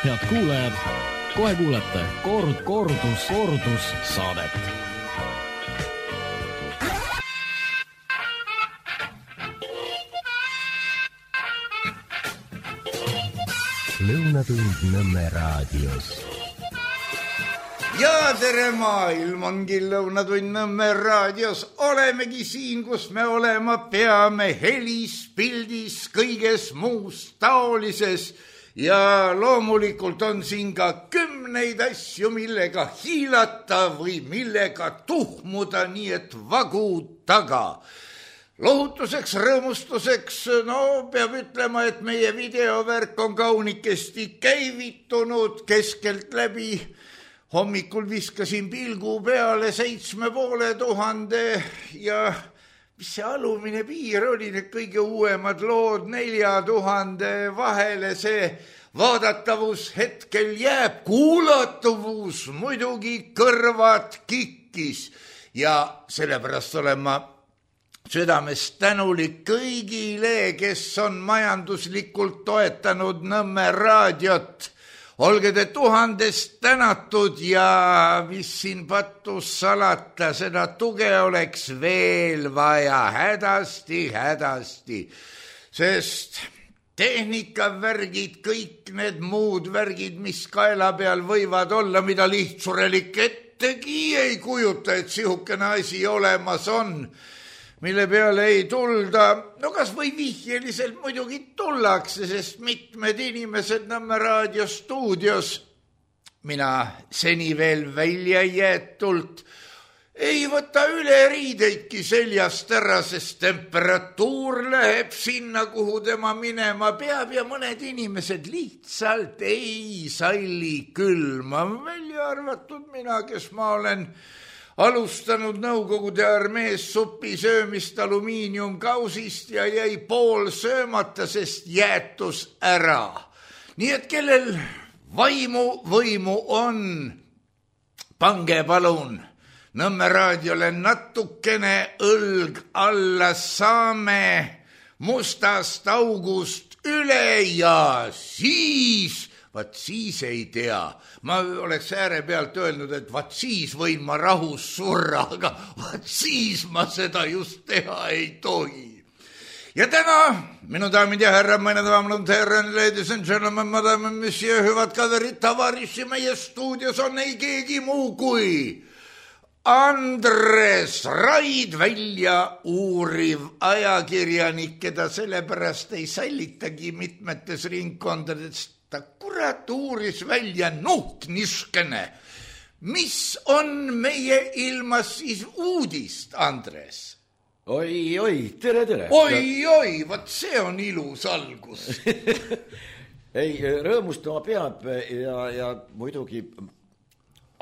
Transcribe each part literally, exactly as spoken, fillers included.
head kuulajad, kohe kuulete kord, kordus, kordus saadet. Lõunatund Nõmme raadios. Ja tere maailm, ongi Lõunatund Nõmme raadios. Olemegi siin, kus me olema peame, helis, pildis, kõiges muus taolises. Ja loomulikult on siin ka kümneid asju, millega hiilata või millega tuhmuda, nii et vagu taga. Lohutuseks, rõõmustuseks, no peab ütlema, et meie videovärk on kaunikesti käivitunud keskelt läbi. Hommikul viskasin pilgu peale seitsme poole tuhande ja mis see alumine piir oli, need kõige uuemad lood nelja tuhande vahele, see vaadatavus hetkel jääb, kuulatavus muidugi kõrvad kikkis ja sellepärast olen ma südamest tänulik kõigile, kes on majanduslikult toetanud Nõmme raadiot. Olge te tuhandest tänatud ja mis siin pattus salata, seda tuge oleks veel vaja hädasti, hädasti, sest tehnikavärgid, kõik need muud värgid, mis kaela peal võivad olla, mida lihtsurelik ettegi ei kujuta, et sihukene asi olemas on, mille peale ei tulda, no kas või vihjeliselt muidugi tullakse, sest mitmed inimesed Nõmme raadio stuudios, mina seni veel välja jäetult, ei võta üle riideidki seljast ära, sest temperatuur läheb sinna, kuhu tema minema peab ja mõned inimesed lihtsalt ei salli külma, välja arvatud mina, kes ma olen alustanud Nõukogude armees supi söömist alumiiniumkausist ja jäi pool söömata, sest jäätus ära. Nii et kellel vaimu võimu on, pange palun Nõmme raadiole natukene õlg alla, saame mustast august üle ja siis... Vaat siis ei tea. Ma oleks ääre pealt öelnud, et vaat siis võin ma rahus surra, aga vaat siis ma seda just teha ei tohi. Ja täna, minu daamid ja härra, meine daamid und herren, ladies and gentlemen, madame, monsieur, hüvad kaverid, tavariši, meie stuudios on ei keegi muu kui Andres Raid, välja uuriv ajakirjanik, keda sellepärast ei sallitagi mitmetes ringkondades. Ta kurat uuris välja nuht niskene. Mis on meie ilmas siis uudist, Andres? Oi, oi, tere, tere. Oi, oi, vaat see on ilus algus. Ei, rõõmustama peab ja, ja muidugi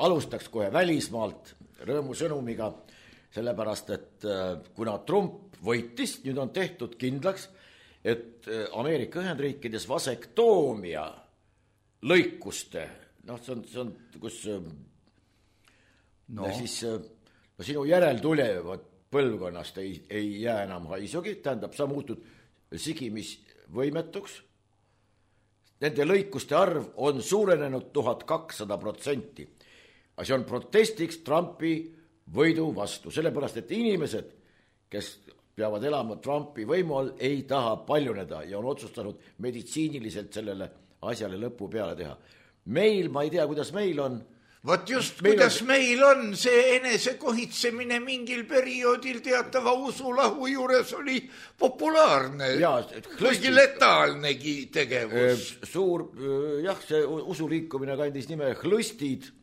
alustaks kohe välismaalt rõõmusõnumiga, sellepärast, et kuna Trump võitis, nüüd on tehtud kindlaks, et Ameerika Ühendriikides vasektoomia lõikuste, noh, see on, see on kus no. siis no, sinu järeltulevad põlvkonnast ei, ei jää enam haisugi, tähendab, sa muutud sigimisvõimetuks. Nende lõikuste arv on suurenenud tuhat kakssada protsenti. See on protestiks Trumpi võidu vastu, sellepärast, et inimesed, kes peavad elama Trumpi võimu all, ei taha paljuneda ja on otsustanud meditsiiniliselt sellele asjale lõpu peale teha. Meil, ma ei tea, kuidas meil on. Vot just, meil kuidas on... meil on see enesekohitsemine mingil perioodil teatava usulahu juures oli populaarne, ja, kuigi letaalnegi tegevus. Suur, jah, see usuliikumine kandis nime Hlõstid.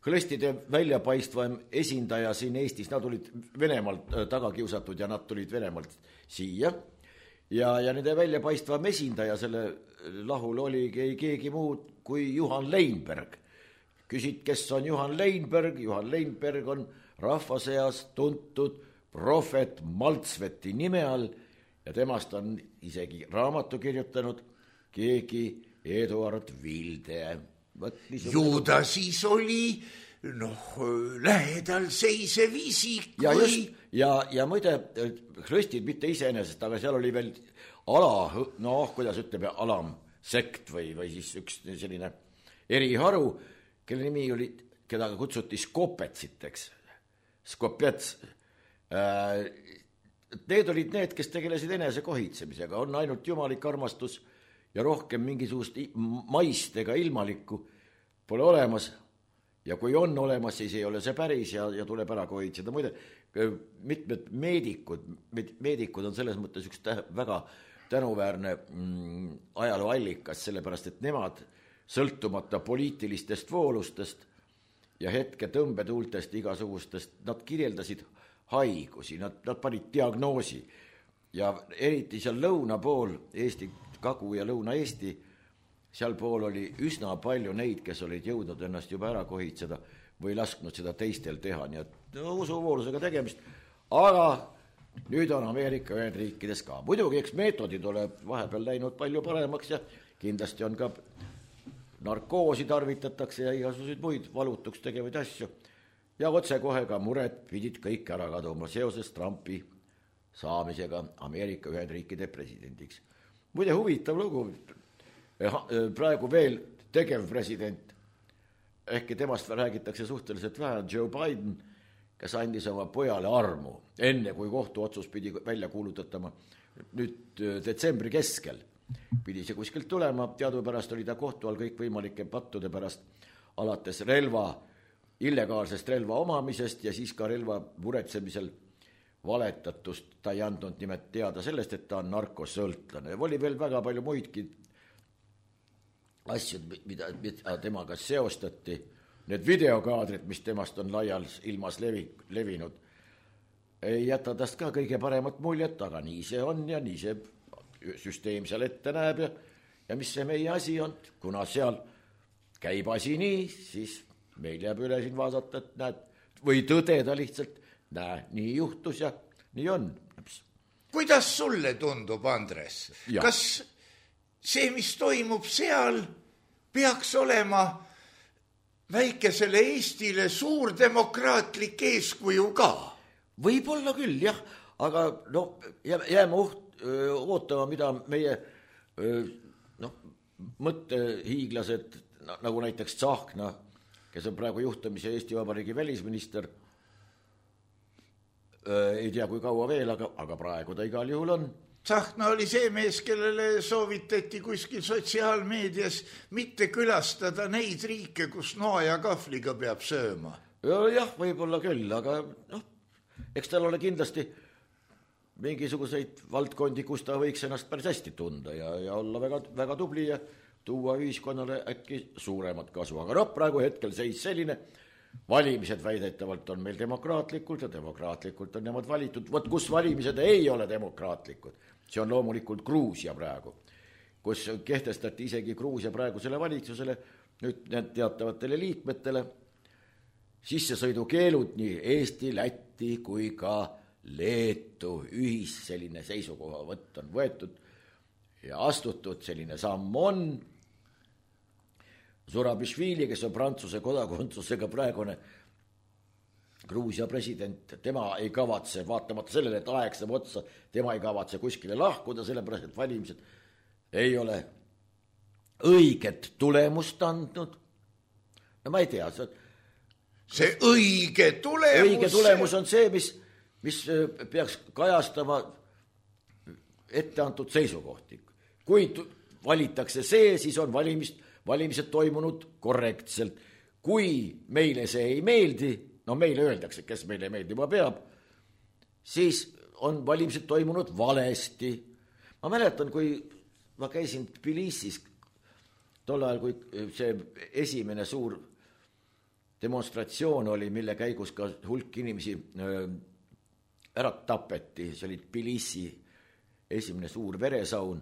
Hlõstide väljapaistvam esindaja siin Eestis, nad olid Venemaalt taga kiusatud ja nad tulid Venemaalt siia. Ja, ja nende väljapaistvam esindaja selle lahul oli keegi muud kui Juhan Leinberg. Küsid, kes on Juhan Leinberg? Juhan Leinberg on rahvaseas tuntud prohvet Maltsveti nime all ja temast on isegi raamatu kirjutanud keegi Eduard Vilde. Ju ta siis oli noh, lähedal seisev isik. Ja, just, ja, ja muide, Hlõstid mitte iseenesest, aga seal oli veel ala, noh, kuidas ütleme, alamsekt või, või siis üks selline eriharu, kelle nimi oli, keda kutsuti skopetsiteks. Skopets. Need olid need, kes tegelesid enese kohitsemisega. On ainult jumalik armastus ja rohkem mingisugust maist ega ilmalikku pole olemas. Ja kui on olemas, siis ei ole see päris ja, ja tuleb ära kohitseda. Muide, mitmed meedikud, meedikud on selles mõttes üks tä- väga tänuväärne mm, ajalooallikas, sellepärast, et nemad sõltumata poliitilistest voolustest ja hetke tõmbetuultest igasugustest, nad kirjeldasid haigusi, nad, nad panid diagnoosi ja eriti seal lõuna pool, Eesti, Kagu- ja Lõuna-Eesti, seal pool oli üsna palju neid, kes olid jõudnud ennast juba ära kohitseda või lasknud seda teistel teha, nii et no, usuvoolusega tegemist, aga nüüd on Ameerika Ühendriikides ka. Muidugi, eks meetodid ole vahepeal läinud palju paremaks ja kindlasti on ka narkoosi tarvitatakse ja igasuguseid muid valutuks tegevaid asju. Ja otsekohe ka mured pidid kõik ära kaduma seoses Trumpi saamisega Ameerika Ühendriikide presidendiks. Muide, huvitav lugu, praegu veel tegev president, ehkki temast räägitakse suhteliselt vähe, Joe Biden, kes andis oma pojale armu, enne kui kohtuotsus pidi välja kuulutatama, nüüd detsembri keskel pidi see kuskilt tulema, teadupärast oli ta kohtu all kõik võimalike pattude pärast, alates relva, illegaalsest relva omamisest ja siis ka relva muretsemisel valetatust, ta ei andnud nimelt teada sellest, et ta on narkosõltlane. Oli veel väga palju muidki asju, mida, mida temaga seostati, need videokaadrid, mis temast on laial ilmas levi, levinud, ei jäta tast ka kõige paremat muljet, aga nii see on ja nii see süsteem seal ette näeb ja, ja mis see meie asi on, kuna seal käib asi nii, siis meil jääb üle siin vaadata, et näed, või tõdeda lihtsalt, näe, nii juhtus ja nii on. Kuidas sulle tundub, Andres? Ja. Kas see, mis toimub seal, peaks olema väikesele Eestile suur demokraatlik eeskuju ka? Võib-olla küll, jah, aga no, jääme uht, öö, ootama, mida meie öö, no, mõttehiiglased, nagu näiteks Tsahkna, kes on praegu juhtamise Eesti Vabariigi välisminister, öö, ei tea, kui kaua veel, aga, aga praegu ta igal juhul on. Tsahkna oli see mees, kellele soovitati kuskil sotsiaalmeedias mitte külastada neid riike, kus noa ja kahvliga peab sööma. Jah, võib-olla küll, aga noh, eks tal ole kindlasti mingisuguseid valdkondi, kus ta võiks ennast päris hästi tunda ja, ja olla väga, väga tubli ja tuua ühiskonnale äkki suuremat kasu. Aga noh, praegu hetkel seis selline, valimised väidetavalt on meil demokraatlikult ja demokraatlikult on nemad valitud. Võt, kus valimised ei ole demokraatlikud, see on loomulikult Gruusia praegu, kus kehtestati isegi Gruusia praegusele valitsusele, nüüd need teatavatele liikmetele, sissesõidukeelud nii Eesti, Läti kui ka Leetu ühis selline seisukohavõtt on võetud ja astutud, selline samm on. Zurabišvili, kes on Prantsuse kodakondsusega praegune Gruusia president, tema ei kavatse, vaatamata sellele, et aeg saab otsa, tema ei kavatse kuskile lahkuda, sellepärast, et valimised ei ole õiget tulemust andnud. No ma ei tea, see, see õige tulemus, õige tulemus on see, mis, mis peaks kajastama etteantud seisukohti. Kui valitakse see, siis on valimist, valimised toimunud korrektselt. Kui meile see ei meeldi, no meile öeldakse, kes meile meeldima peab, siis on valimised toimunud valesti. Ma mäletan, kui ma käisin Tbilisis tol ajal, kui see esimene suur demonstratsioon oli, mille käigus ka hulk inimesi ära tapeti, see oli Tbilisi esimene suur veresaun.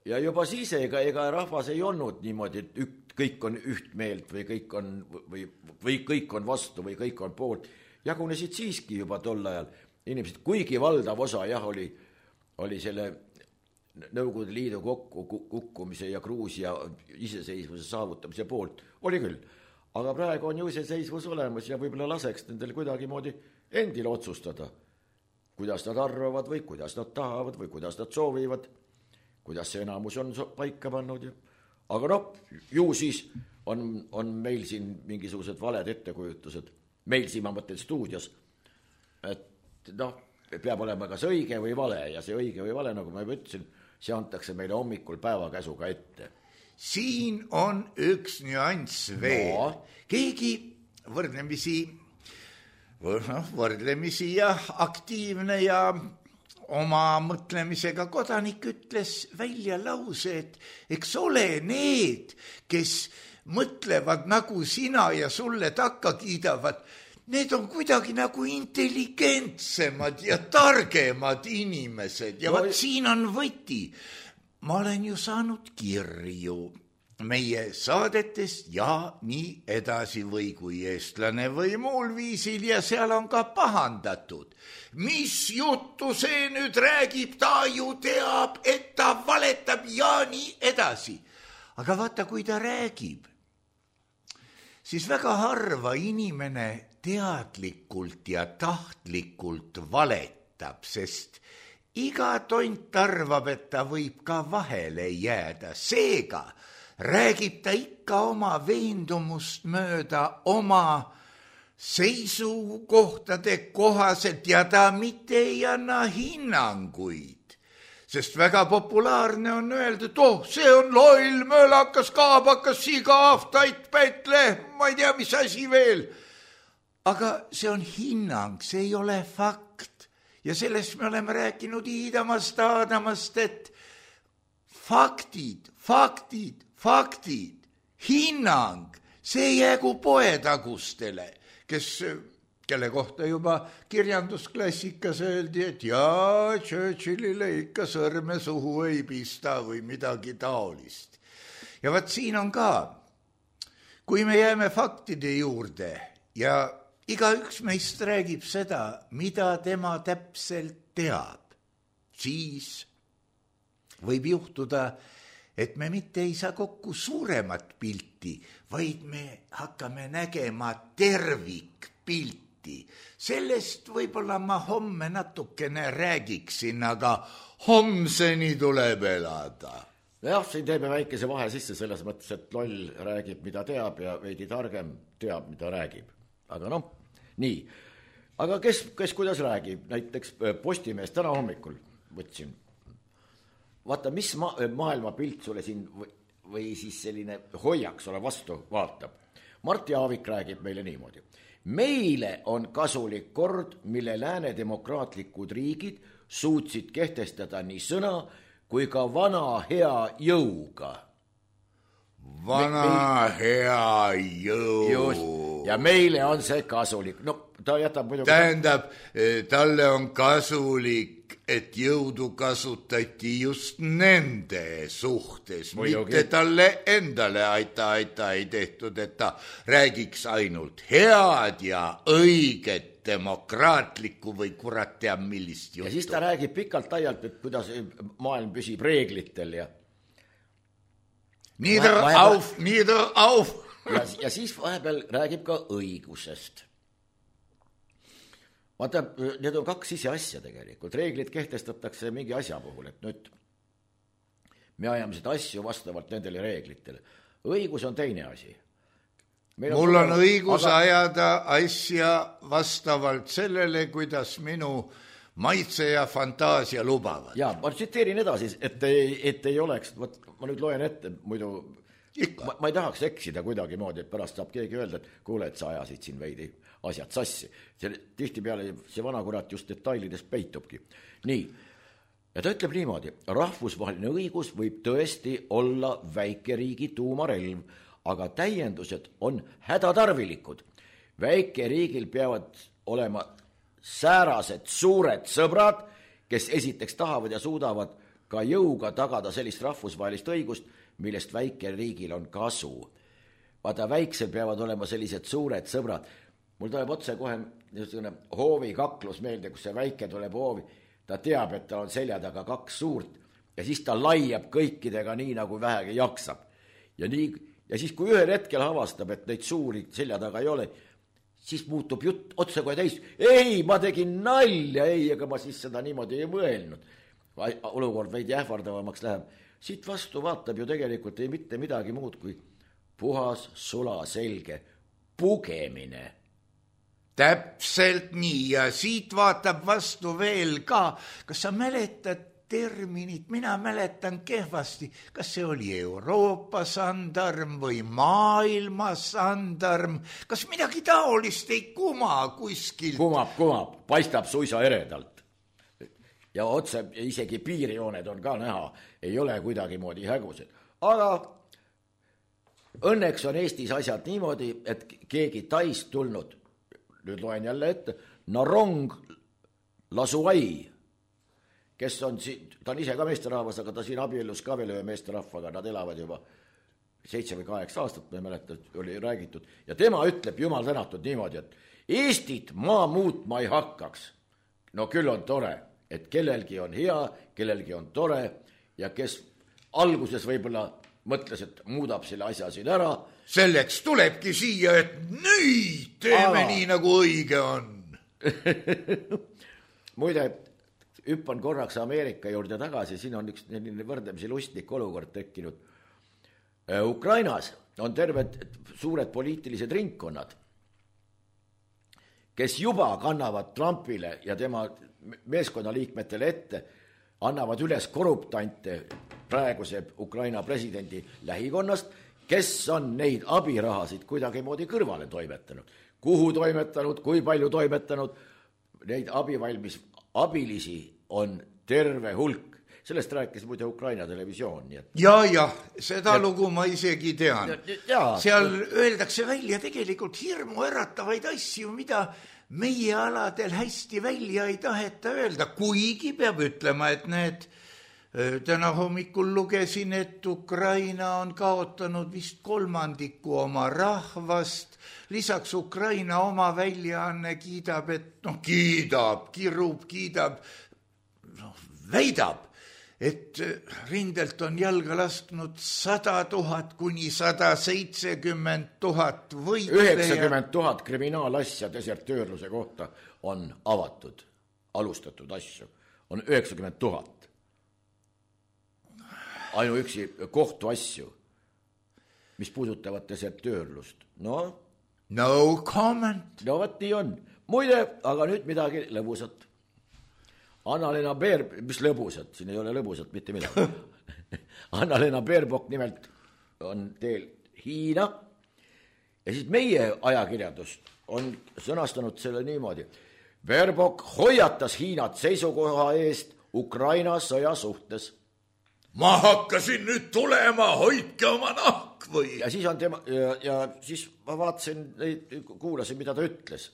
Ja juba siis ega, ega rahvas ei olnud niimoodi, et ük, kõik on üht meelt või kõik on, või, või kõik on vastu või kõik on poolt. Jagunesid siiski juba tol ajal inimesed, kuigi valdav osa jah, oli, oli selle Nõukogude Liidu kokku kukkumise ja Gruusia iseseisvuse saavutamise poolt, oli küll. Aga praegu on ju iseseisvus olemas ja võib-olla laseks nendel kuidagimoodi endil otsustada, kuidas nad arvavad või kuidas nad tahavad või kuidas nad soovivad, kuidas see enamus on paika pannud. aga noh, ju siis on, on meil siin mingisugused valed ettekujutused, meil siin ma mõtlen stuudios, et noh, peab olema kas õige või vale ja see õige või vale, nagu ma juba ütlesin, see antakse meile hommikul päevakäsuga ette. Siin on üks nüanss veel no.. keegi võrdlemisi, võrdlemisi ja aktiivne ja oma mõtlemisega kodanik ütles välja lause, et eks ole need, kes mõtlevad nagu sina ja sulle takka kiidavad, need on kuidagi nagu intelligentsemad ja targemad inimesed ja no, vaat siin on võti. Ma olen ju saanud kirju meie saadetest ja nii edasi või kui eestlane või muul viisil ja seal on ka pahandatud. Mis juttu see nüüd räägib, ta ju teab, et ta valetab ja nii edasi. Aga vaata, kui ta räägib, siis väga harva inimene teadlikult ja tahtlikult valetab, sest iga tont arvab, et ta võib ka vahele jääda. Seega räägib ta ikka oma veendumust mööda, oma seisukohtade kohaselt ja ta mitte ei anna hinnanguid. Sest väga populaarne on öelda, et oh, see on loll, mölakas, kaabakas, sigav, tait, pätle, ma ei tea, mis asi veel. Aga see on hinnang, see ei ole fakt. Ja sellest me oleme rääkinud Iidamast, Aadamast, et faktid, faktid, faktid, hinnang, see jäägu poetagustele, kes, kelle kohta juba kirjandusklassikas öeldi, et jaa, Churchillile ikka sõrme suhu ei pista või midagi taolist. Ja vaat siin on ka, kui me jääme faktide juurde ja igaüks meist räägib seda, mida tema täpselt teab, siis võib juhtuda, et me mitte ei saa kokku suuremat pilti, vaid me hakkame nägema tervikpilti. Sellest võib-olla ma homme natukene räägiksin, aga homseni tuleb elada. Jah, siin teeme väikese vahe sisse selles mõttes, et loll räägib, mida teab ja veidi targem teab, mida räägib. Aga noh, nii. Aga kes, kes kuidas räägib? Näiteks Postimees täna hommikul võtsin. Vaata, mis ma, maailma pilt sulle siin või, või siis selline hoiak sulle vastu vaatab. Martti Aavik räägib meile niimoodi. Meile on kasulik kord, mille lääne demokraatlikud riigid suutsid kehtestada nii sõna kui ka vana hea jõuga. Vana me, me... hea jõu. Just. Ja meile on see kasulik. No, ta jätab muidugi... Tähendab, talle on kasulik, et jõudu kasutati just nende suhtes, muidugi. Mitte talle endale aita, aita ei tehtud, et ta räägiks ainult head ja õiget demokraatlikku või kurat teab millist juttu. Ja siis ta räägib pikalt ajalt, et kuidas maailm püsib reeglitel ja nieder auf, nieder auf. Ja, ja siis vahepeal räägib ka õigusest. Vaata, need on kaks ise asja tegelikult. Reeglid kehtestatakse mingi asja puhul, et nüüd me ajame seda asju vastavalt nendele reeglitele. Õigus on teine asi. Meil on Mul on sulle... õigus aga... ajada asja vastavalt sellele, kuidas minu maitse ja fantaasia lubavad. Ja, ma tsiteerin edasi, et ei, et ei oleks, võt, ma nüüd loen ette, muidu ma, ma ei tahaks eksida kuidagi moodi, et pärast saab keegi öelda, et kuule, et sa ajasid siin veidi asjad sassi. See, tihti peale see vana kurat just detailides peitubki. Nii, ja ta ütleb niimoodi, rahvusvaheline õigus võib tõesti olla väikeriigi tuumarelv, aga täiendused on hädatarvilikud. Väikeriigil peavad olema säärased suured sõbrad, kes esiteks tahavad ja suudavad ka jõuga tagada sellist rahvusvahelist õigust, millest väikeriigil on kasu. Vaata, väiksel peavad olema sellised suured sõbrad. Mul tuleb otse kohe niisugune hoovi kaklus meelde, kus see väike tuleb hoovi. Ta teab, et ta on selja taga kaks suurt ja siis ta laiab kõikidega nii, nagu vähegi jaksab. Ja, nii, ja siis, kui ühel hetkel avastab, et neid suuri selja taga ei ole, siis muutub jutt otse kohe täis. Ei, ma tegin nalja, ei, ega ma siis seda niimoodi ei mõelnud. olukord veidi ähvardavamaks läheb, siit vastu vaatab ju tegelikult ei mitte midagi muud kui puhas, sula, selge pugemine. Täpselt nii ja siit vaatab vastu veel ka. Kas sa mäletad terminit? Mina mäletan kehvasti. Kas see oli Euroopa sandarm või maailma sandarm? Kas midagi taolist ei kuma kuskil? Kumab, kumab. Paistab suisa eredalt. Ja otse isegi piirijooned on ka näha. Ei ole kuidagi moodi hägused. Aga õnneks on Eestis asjad niimoodi, et keegi taist tulnud, nüüd loen jälle ette, Narong Lasuai, kes on, ta on ise ka meesterahvas, aga ta siin abiellus ka veel ühe meesterahvaga, nad elavad juba seitse või kaheksa aastat, ma ei mäleta, oli räägitud, ja tema ütleb, jumal tänatud niimoodi, et Eestit maa muutma ei hakkaks. No küll on tore, et kellelgi on hea, kellelgi on tore ja kes alguses võib-olla mõtles, et muudab selle asja siin ära. Selleks tulebki siia, et nüüd teeme Aa. nii, nagu õige on. Muide, hüppan korraks Ameerika juurde tagasi, siin on üks võrdlemisi lustlik olukord tekkinud. Ukrainas on terved suured poliitilised ringkonnad, kes juba kannavad Trumpile ja tema meeskonnaliikmetele ette, annavad üles korruptante praeguse Ukraina presidendi lähikonnast, kes on neid abirahasid kuidagi moodi kõrvale toimetanud. Kuhu toimetanud, kui palju toimetanud, neid abivalmis abilisi on terve hulk. Sellest rääkis muide Ukraina televisioon. Nii et... Ja, ja, seda ja... lugu ma isegi tean. Ja... Seal öeldakse välja tegelikult hirmu äratavaid asju, mida meie aladel hästi välja ei taheta öelda, kuigi peab ütlema, et need täna hommikul lugesin, et Ukraina on kaotanud vist kolmandiku oma rahvast, lisaks Ukraina oma väljaanne kiidab, et noh, kiidab, kirub, kiidab, noh, väidab, et rindelt on jalga lasknud sada tuhat kuni sada seitsekümmend tuhat võitleja. üheksakümmend tuhat kriminaalasja desertöörluse kohta on avatud, alustatud asju, on üheksakümmend tuhat. Ainuüksi kohtuasju, mis puudutavad desertöörlust. No, no comment. No võt nii on. Muide, aga nüüd midagi lõbusat. Anna-Lena Beer, mis lõbusat, siin ei ole lõbusat mitte midagi. Anna-Lena Beerbok nimelt on teel Hiina ja siis meie ajakirjandus on sõnastanud selle niimoodi. Beerbok hoiatas Hiinat seisukoha eest Ukraina sõja suhtes. Ma hakkasin nüüd tulema, hoidke oma nahk või? Ja siis on tema, ja, ja siis ma vaatasin, kuulasin, mida ta ütles.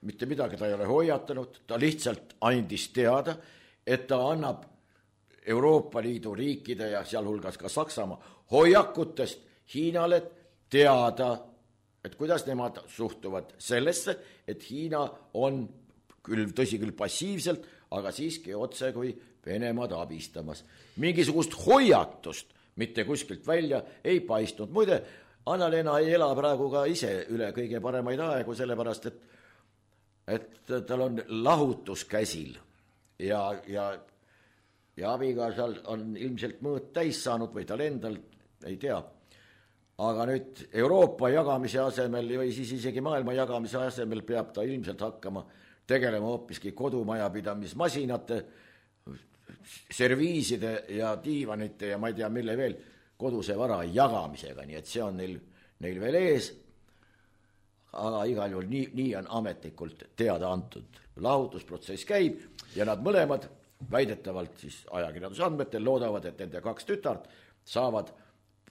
Mitte midagi ta ei ole hoiatanud, ta lihtsalt andis teada, et ta annab Euroopa Liidu riikide ja sealhulgas ka Saksamaa hoiakutest Hiinale teada, et kuidas nemad suhtuvad sellesse, et Hiina on küll, tõsi küll passiivselt, aga siiski otse kui Venemaad abistamas. Mingisugust hoiatust mitte kuskilt välja ei paistnud. Muide, Anna-Lena ei ela praegu ka ise üle kõige paremaid aegu, sellepärast, et, et tal on lahutus käsil ja, ja, ja abikaasal on ilmselt mõõt täis saanud või tal endal, ei tea. Aga nüüd Euroopa jagamise asemel või siis isegi maailma jagamise asemel peab ta ilmselt hakkama tegelema hoopiski kodumajapidamismasinate, serviiside ja diivanite ja ma ei tea, mille veel koduse vara jagamisega, nii et see on neil, neil veel ees. Aga igal juhul nii, nii on ametlikult teada antud. Lahutusprotsess käib ja nad mõlemad väidetavalt siis ajakirjanduse andmetel loodavad, et nende kaks tütart saavad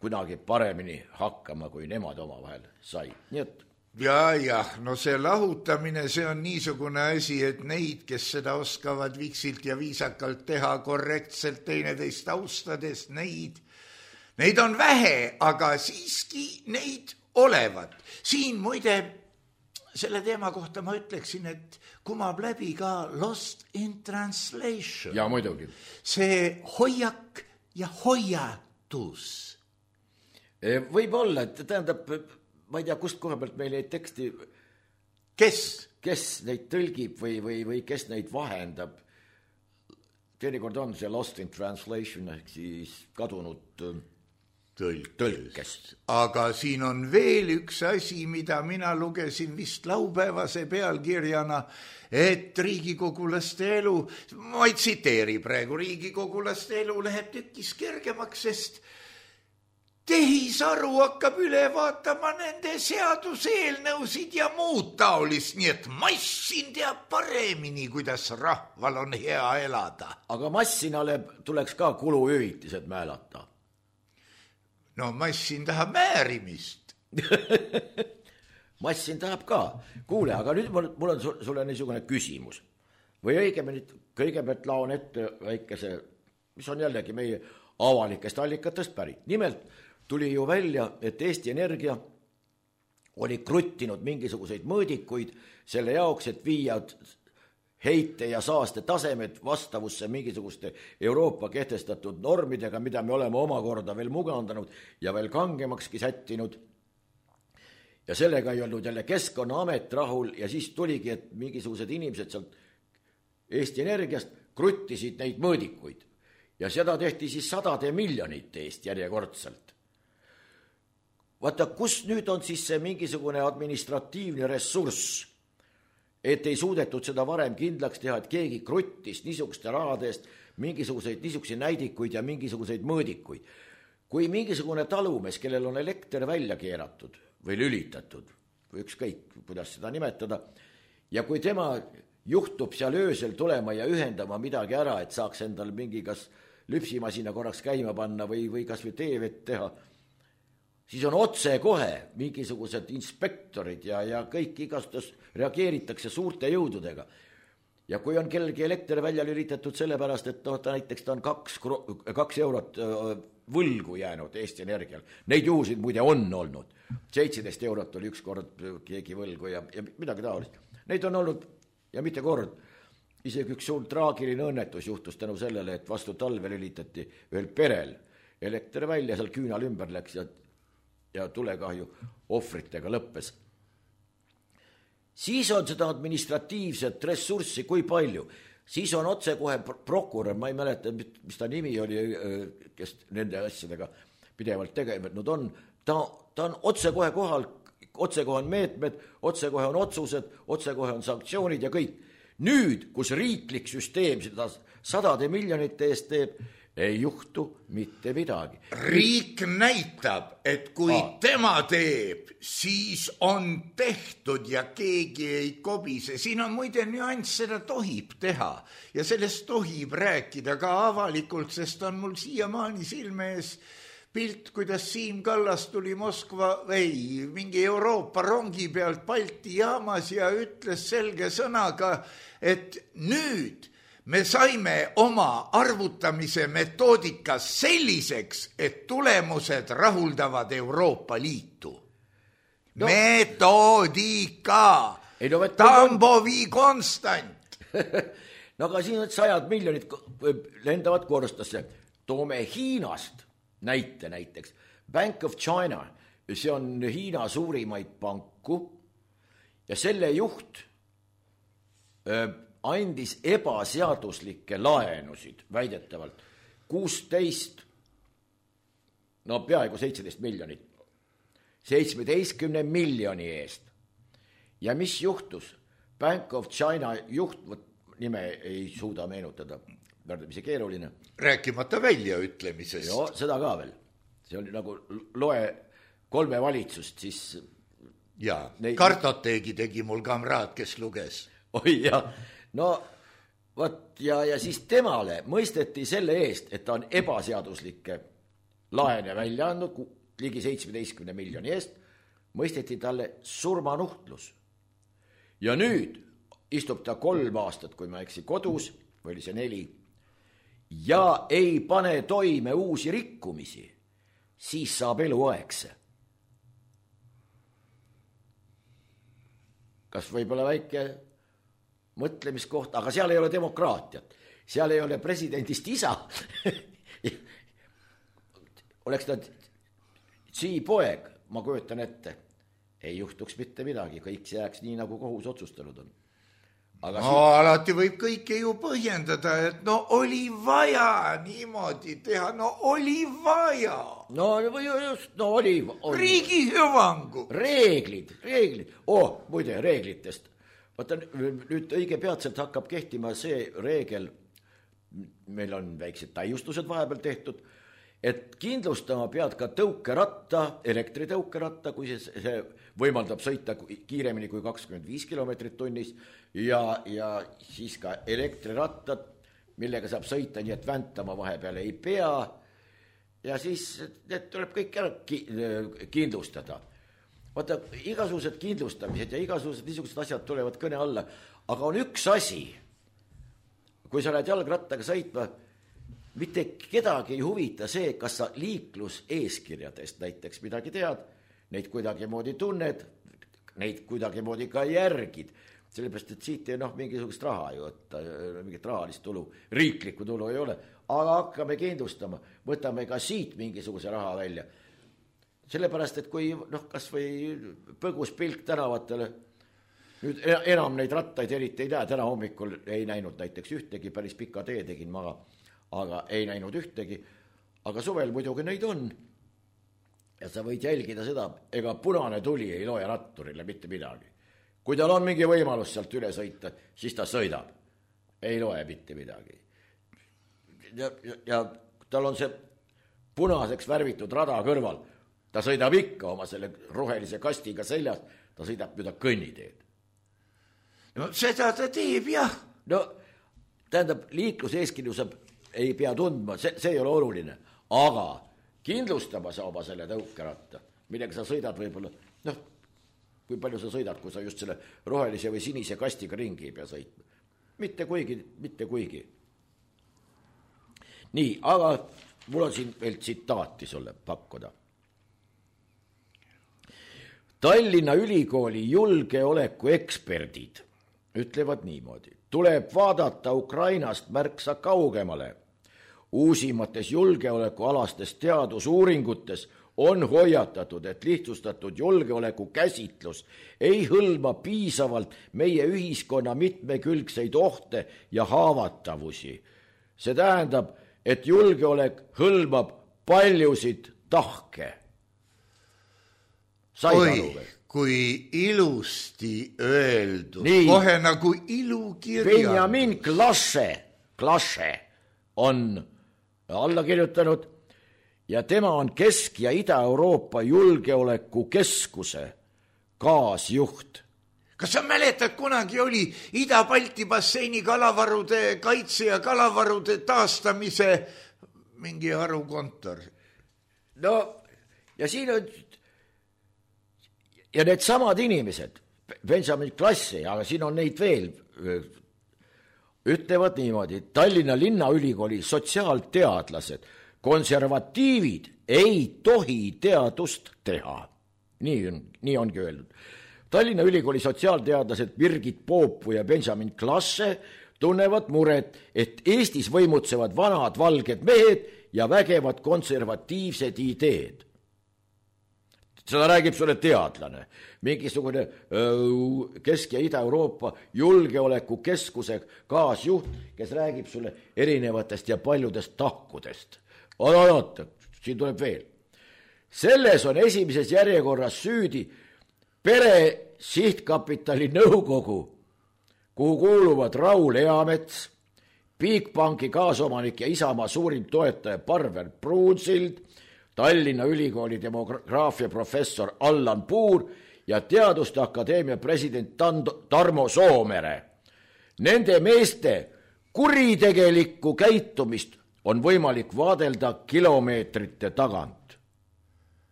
kunagi paremini hakkama, kui nemad omavahel sai. Nii et ja, ja, no see lahutamine, see on niisugune asi, et neid, kes seda oskavad viksilt ja viisakalt teha korrektselt teineteist austades, neid, neid on vähe, aga siiski neid olevat. Siin muide selle teema kohta ma ütleksin, et kumab läbi ka Lost in Translation. Ja muidugi. See hoiak ja hoiatus. Võib-olla, et tähendab, ma ei tea, kust koha pealt meil neid teksti, kes, kes neid tõlgib või, või, või kes neid vahendab. teinekord on see lost in translation ehk siis kadunud Tõlk. tõlkest. Aga siin on veel üks asi, mida mina lugesin vist laupäevase pealkirjana, et riigikogulaste elu, ma ei tsiteeri praegu, riigikogulaste elu läheb tükis kergemaks, sest tehisaru hakkab üle vaatama nende seaduseelnõusid ja muud taolist, nii et massin teab paremini, kuidas rahval on hea elada. Aga massinale tuleks ka kuluhüvitised määlata. No massin tahab määrimist. Massin tahab ka. Kuule, aga nüüd mul, mul on sulle niisugune küsimus. Või õigemini kõigepealt laon ette väikese, mis on jällegi meie avalikest allikatest pärit. Nimelt tuli ju välja, et Eesti Energia oli kruttinud mingisuguseid mõõdikuid selle jaoks, et viia heite ja saaste tasemed vastavusse mingisuguste Euroopa kehtestatud normidega, mida me oleme omakorda veel mugandanud ja veel kangemakski sättinud. Ja sellega ei olnud jälle Keskkonnaamet rahul ja siis tuligi, et mingisugused inimesed sealt Eesti Energiast kruttisid neid mõõdikuid. Ja seda tehti siis sadade miljonite eest järjekordselt. Vaata, kus nüüd on siis see mingisugune administratiivne ressurss, et ei suudetud seda varem kindlaks teha, et keegi kruttis niisuguste rahade eest mingisuguseid niisuguseid näidikuid ja mingisuguseid mõõdikuid. Kui mingisugune talumees, kellel on elekter välja keeratud või lülitatud, või ükskõik, kuidas seda nimetada, ja kui tema juhtub seal öösel tulema ja ühendama midagi ära, et saaks endal mingi kas lüpsimasina korraks käima panna või, või kas või teevett teha, siis on otse kohe mingisugused inspektorid ja, ja kõik igastus reageeritakse suurte jõududega. Ja kui on kellegi elekter välja lülitatud sellepärast, et no, ta näiteks ta on kaks, kaks eurot võlgu jäänud Eesti Energial. Neid juhusid muide on olnud. seitseteist eurot oli üks kord keegi võlgu ja, ja midagi taolist. Neid on olnud ja mitte kord. Isegi üks suur traagiline õnnetus juhtus tänu sellele, et vastu talve lülitati ühel perel elekter välja, seal küünal ümber läks ja ja tulekahju ohvritega lõppes. Siis on seda administratiivset ressurssi kui palju. Siis on otse kohe prokurör, ma ei mäleta, mis ta nimi oli, kes nende asjadega pidevalt tegevnud on. Ta, ta on otse kohe kohal, otse kohe on meetmed, otse kohe on otsused, otse kohe on sanktsioonid ja kõik. Nüüd, kus riiklik süsteem seda sadade miljonite eest teeb, ei juhtu mitte midagi. Riik näitab, et kui Aa. tema teeb, siis on tehtud ja keegi ei kobise. Siin on muide nüanss, seda tohib teha ja sellest tohib rääkida ka avalikult, sest on mul siiamaani silme ees pilt, kuidas Siim Kallas tuli Moskva või mingi Euroopa rongi pealt Balti jaamas ja ütles selge sõnaga, et nüüd me saime oma arvutamise metoodika selliseks, et tulemused rahuldavad Euroopa Liitu. No. Metoodika. No, Tambovi konstant. No aga siin on sajad miljonid lendavad korstasse. Toome Hiinast näite näiteks. Bank of China, see on Hiina suurimaid panku ja selle juht öö, andis ebaseaduslikke laenusid väidetavalt kuusteist, no peaaegu seitseteist miljonit, seitsmeteistkümne miljoni eest. Ja mis juhtus? Bank of China juht, nime ei suuda meenutada, värdamisi keeruline. Rääkimata väljaütlemisest. Joo, seda ka veel. See oli nagu loe kolme valitsust, siis... Jaa, neid... kartoteegi tegi mul kamraad, kes luges. Oi jah. No, võt, ja, ja siis temale mõisteti selle eest, et ta on ebaseaduslikke laene välja andnud, ligi seitsmeteistkümne miljoni eest, mõisteti talle surmanuhtlus. Ja nüüd istub ta kolm aastat, kui ma eksi, kodus, või oli see neli, ja ei pane toime uusi rikkumisi, siis saab eluaegse. Kas võib-olla väike... mõtlemiskoht, aga seal ei ole demokraatiat. Seal ei ole presidendist isa. Oleks ta sii poeg, ma kujutan ette, ei juhtuks mitte midagi, kõik see jääks nii, nagu kohus otsustanud on. Aga no siin... alati võib kõike ju põhjendada, et no oli vaja niimoodi teha, no oli vaja. No just, no oli, oli. Riigi hüvangu. Reeglid, reeglid. Oh, muide, reeglitest. Vaata, nüüd õige peatselt hakkab kehtima see reegel, meil on väiksed täiustused vahepeal tehtud, et kindlustama pead ka tõukeratta, elektritõukeratta, kui see, see võimaldab sõita kiiremini kui kakskümmend viis kilomeetrit tunnis ja, ja siis ka elektrirattad, millega saab sõita nii, et väntama vahepeal ei pea ja siis need tuleb kõik ära kindlustada. Vaata, igasugused kindlustamised ja igasugused niisugused asjad tulevad kõne alla, aga on üks asi, kui sa lähed jalgrattaga sõitma, mitte kedagi ei huvita see, kas sa liikluseeskirjadest näiteks midagi tead, neid kuidagi moodi tunned, neid kuidagi moodi ka järgid, sellepärast, et siit ei noh mingisugust raha ju, et mingit rahalist tulu, riiklikku tulu ei ole, aga hakkame kindlustama, võtame ka siit mingisuguse raha välja. Sellepärast, et kui noh, kas või põgus pilk tänavatele, nüüd enam neid rattaid eriti ei näe, täna hommikul ei näinud näiteks ühtegi, päris pika tee tegin maga, aga ei näinud ühtegi, aga suvel muidugi neid on. Ja sa võid jälgida seda, ega punane tuli ei loe ratturile mitte midagi. Kui tal on mingi võimalus sealt üle sõita, siis ta sõidab. Ei loe mitte midagi. Ja, ja, ja tal on see punaseks värvitud rada kõrval. Ta sõidab ikka oma selle rohelise kastiga seljas, ta sõidab mida kõnniteed. No seda ta teeb, jah. No, tähendab, liikluseeskirju saab ei pea tundma, see, see ei ole oluline, aga kindlustama sa oma selle tõukeratta, millega sa sõidad võib-olla, noh, kui palju sa sõidad, kui sa just selle rohelise või sinise kastiga ringi ei pea sõitma. Mitte kuigi, mitte kuigi. Nii, aga mul on siin veel tsitaati sulle pakkuda. Tallinna Ülikooli julgeoleku eksperdid ütlevad niimoodi. Tuleb vaadata Ukrainast märksa kaugemale. Uusimates julgeolekualastes teadusuuringutes on hoiatatud, et lihtsustatud julgeoleku käsitlus ei hõlma piisavalt meie ühiskonna mitmekülgseid ohte ja haavatavusi. See tähendab, et julgeolek hõlmab paljusid tahke. Sai Oi, kui ilusti öeldud, nii, kohe nagu ilukirja. Benjamin Klasse, Klasse on alla kirjutanud ja tema on Kesk- ja Ida-Euroopa julgeoleku keskuse kaasjuht. Kas sa mäletad, kunagi oli Ida-Balti basseini kalavarude kaitse ja kalavarude taastamise mingi harukontor? No, ja siin on ja need samad inimesed, Benjamin Klassi, aga siin on neid veel, ütlevad niimoodi, Tallinna Linnaülikooli sotsiaalteadlased, konservatiivid ei tohi teadust teha. Nii, on, nii ongi öeldud. Tallinna Ülikooli sotsiaalteadlased Birgit Poopu ja Benjamin Klasse tunnevad muret, et Eestis võimutsevad vanad valged mehed ja vägevad konservatiivsed ideed. Seda räägib sulle teadlane, mingisugune öö, Kesk- ja Ida-Euroopa julgeoleku keskuse kaasjuht, kes räägib sulle erinevatest ja paljudest tahkudest. Oota, oota, siin tuleb veel. Selles on esimeses järjekorras süüdi pere sihtkapitali nõukogu, kuhu kuuluvad Raul Eamets, Bigbanki kaasomanik ja Isamaa suurim toetaja Parvel Pruunsild, Tallinna Ülikooli demograafia professor Allan Puur ja Teaduste Akadeemia president Tarmo Soomere. Nende meeste kuritegelikku käitumist on võimalik vaadelda kilomeetrite tagant.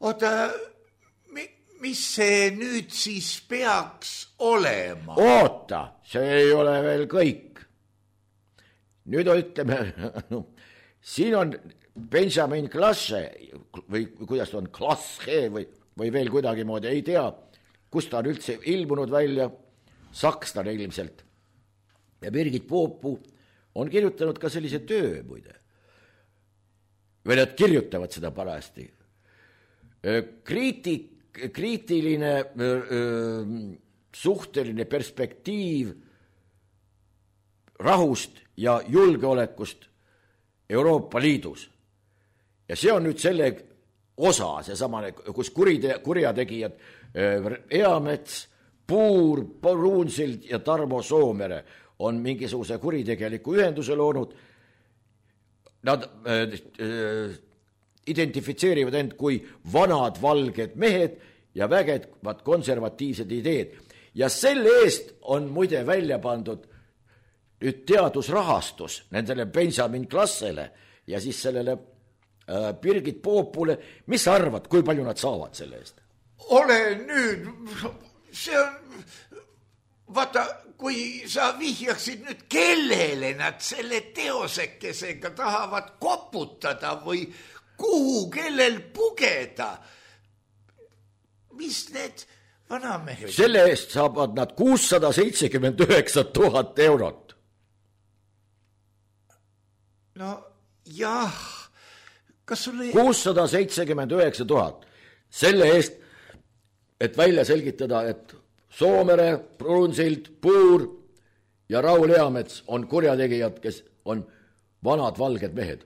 Oota, mis see nüüd siis peaks olema? Oota, see ei ole veel kõik. Nüüd ütleme, siin on Benjamin Klasse, või kuidas ta on, Klasse või, või veel kuidagi moodi, ei tea, kus ta on üldse ilmunud välja, sakslane ilmselt. Ja Birgit Poopu on kirjutanud ka sellise töö, muide. Või nad kirjutavad seda parasti. Kriitik, kriitiline öö, suhteline perspektiiv rahust ja julgeolekust Euroopa Liidus. Ja see on nüüd selle osa, see samane, kus kuride, kurjategijad Eamets, Puur, Pruunsild ja Tarmo Soomere on mingisuguse kuritegeliku ühenduse loonud. Nad äh, äh, identifitseerivad end kui vanad valged mehed ja vägevad konservatiivsed ideed. Ja selle eest on muide välja pandud nüüd teadusrahastus nendele Benjamin Klassele ja siis sellele äh, Birgit Poopule. Mis sa arvad, kui palju nad saavad selle eest? Ole nüüd, see on, vaata, kui sa vihjaksid nüüd, kellele nad selle teosekesega tahavad koputada või kuhu, kellel pugeda, mis need vanamehed? Selle eest saavad nad kuussada seitsekümmend üheksa tuhat eurot. No jah, kas sulle... kuussada seitsekümmend üheksa tuhat. Selle eest, et välja selgitada, et Soomere, Pruunsild, Puur ja Raul Eamets on kurjategijad, kes on vanad valged mehed.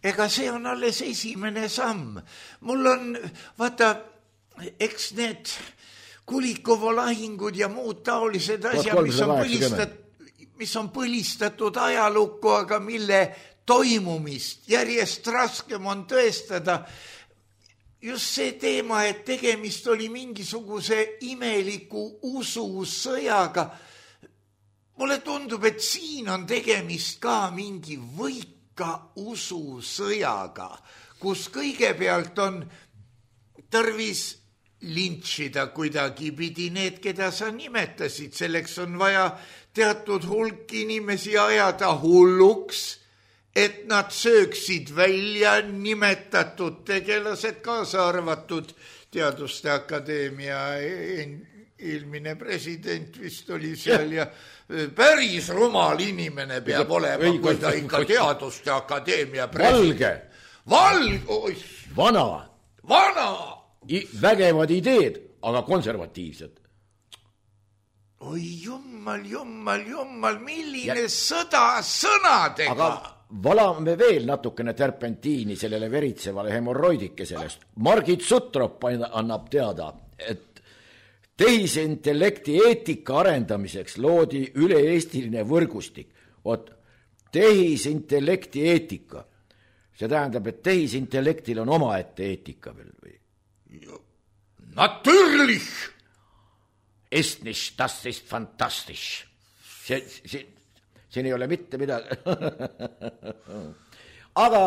Ega see on alles esimene samm. Mul on, vaata, eks need Kulikovo lahingud ja muud taolised asjad, mis on, põlistat, mis on põlistatud ajalukku, aga mille toimumist järjest raskem on tõestada. Just see teema, et tegemist oli mingisuguse imeliku ususõjaga. Mulle tundub, et siin on tegemist ka mingi võika ususõjaga, kus kõigepealt on tarvis lintšida kuidagi pidi need, keda sa nimetasid. Selleks on vaja teatud hulk inimesi ajada hulluks, et nad sööksid välja nimetatud tegelased, kaasa arvatud Teaduste Akadeemia eelmine president vist oli seal ja päris rumal inimene peab olema, kui ta ikka Teaduste Akadeemia president. Valge. Valge. Vana. Vana. I, vägevad ideed, aga konservatiivsed. Oi jummal, jummal, jummal, milline ja... sõda sõnadega. Aga valame veel natukene terpentiini sellele veritsevale hemorroidike sellest. Margit Sutrop annab teada, et tehisintellekti eetika arendamiseks loodi üle-eestiline võrgustik. Oot, tehisintellekti eetika. See tähendab, et tehisintellektil on omaette eetika veel või? Natürlich! Ist nicht, das ist fantastisch. See, see, siin ei ole mitte midagi. Aga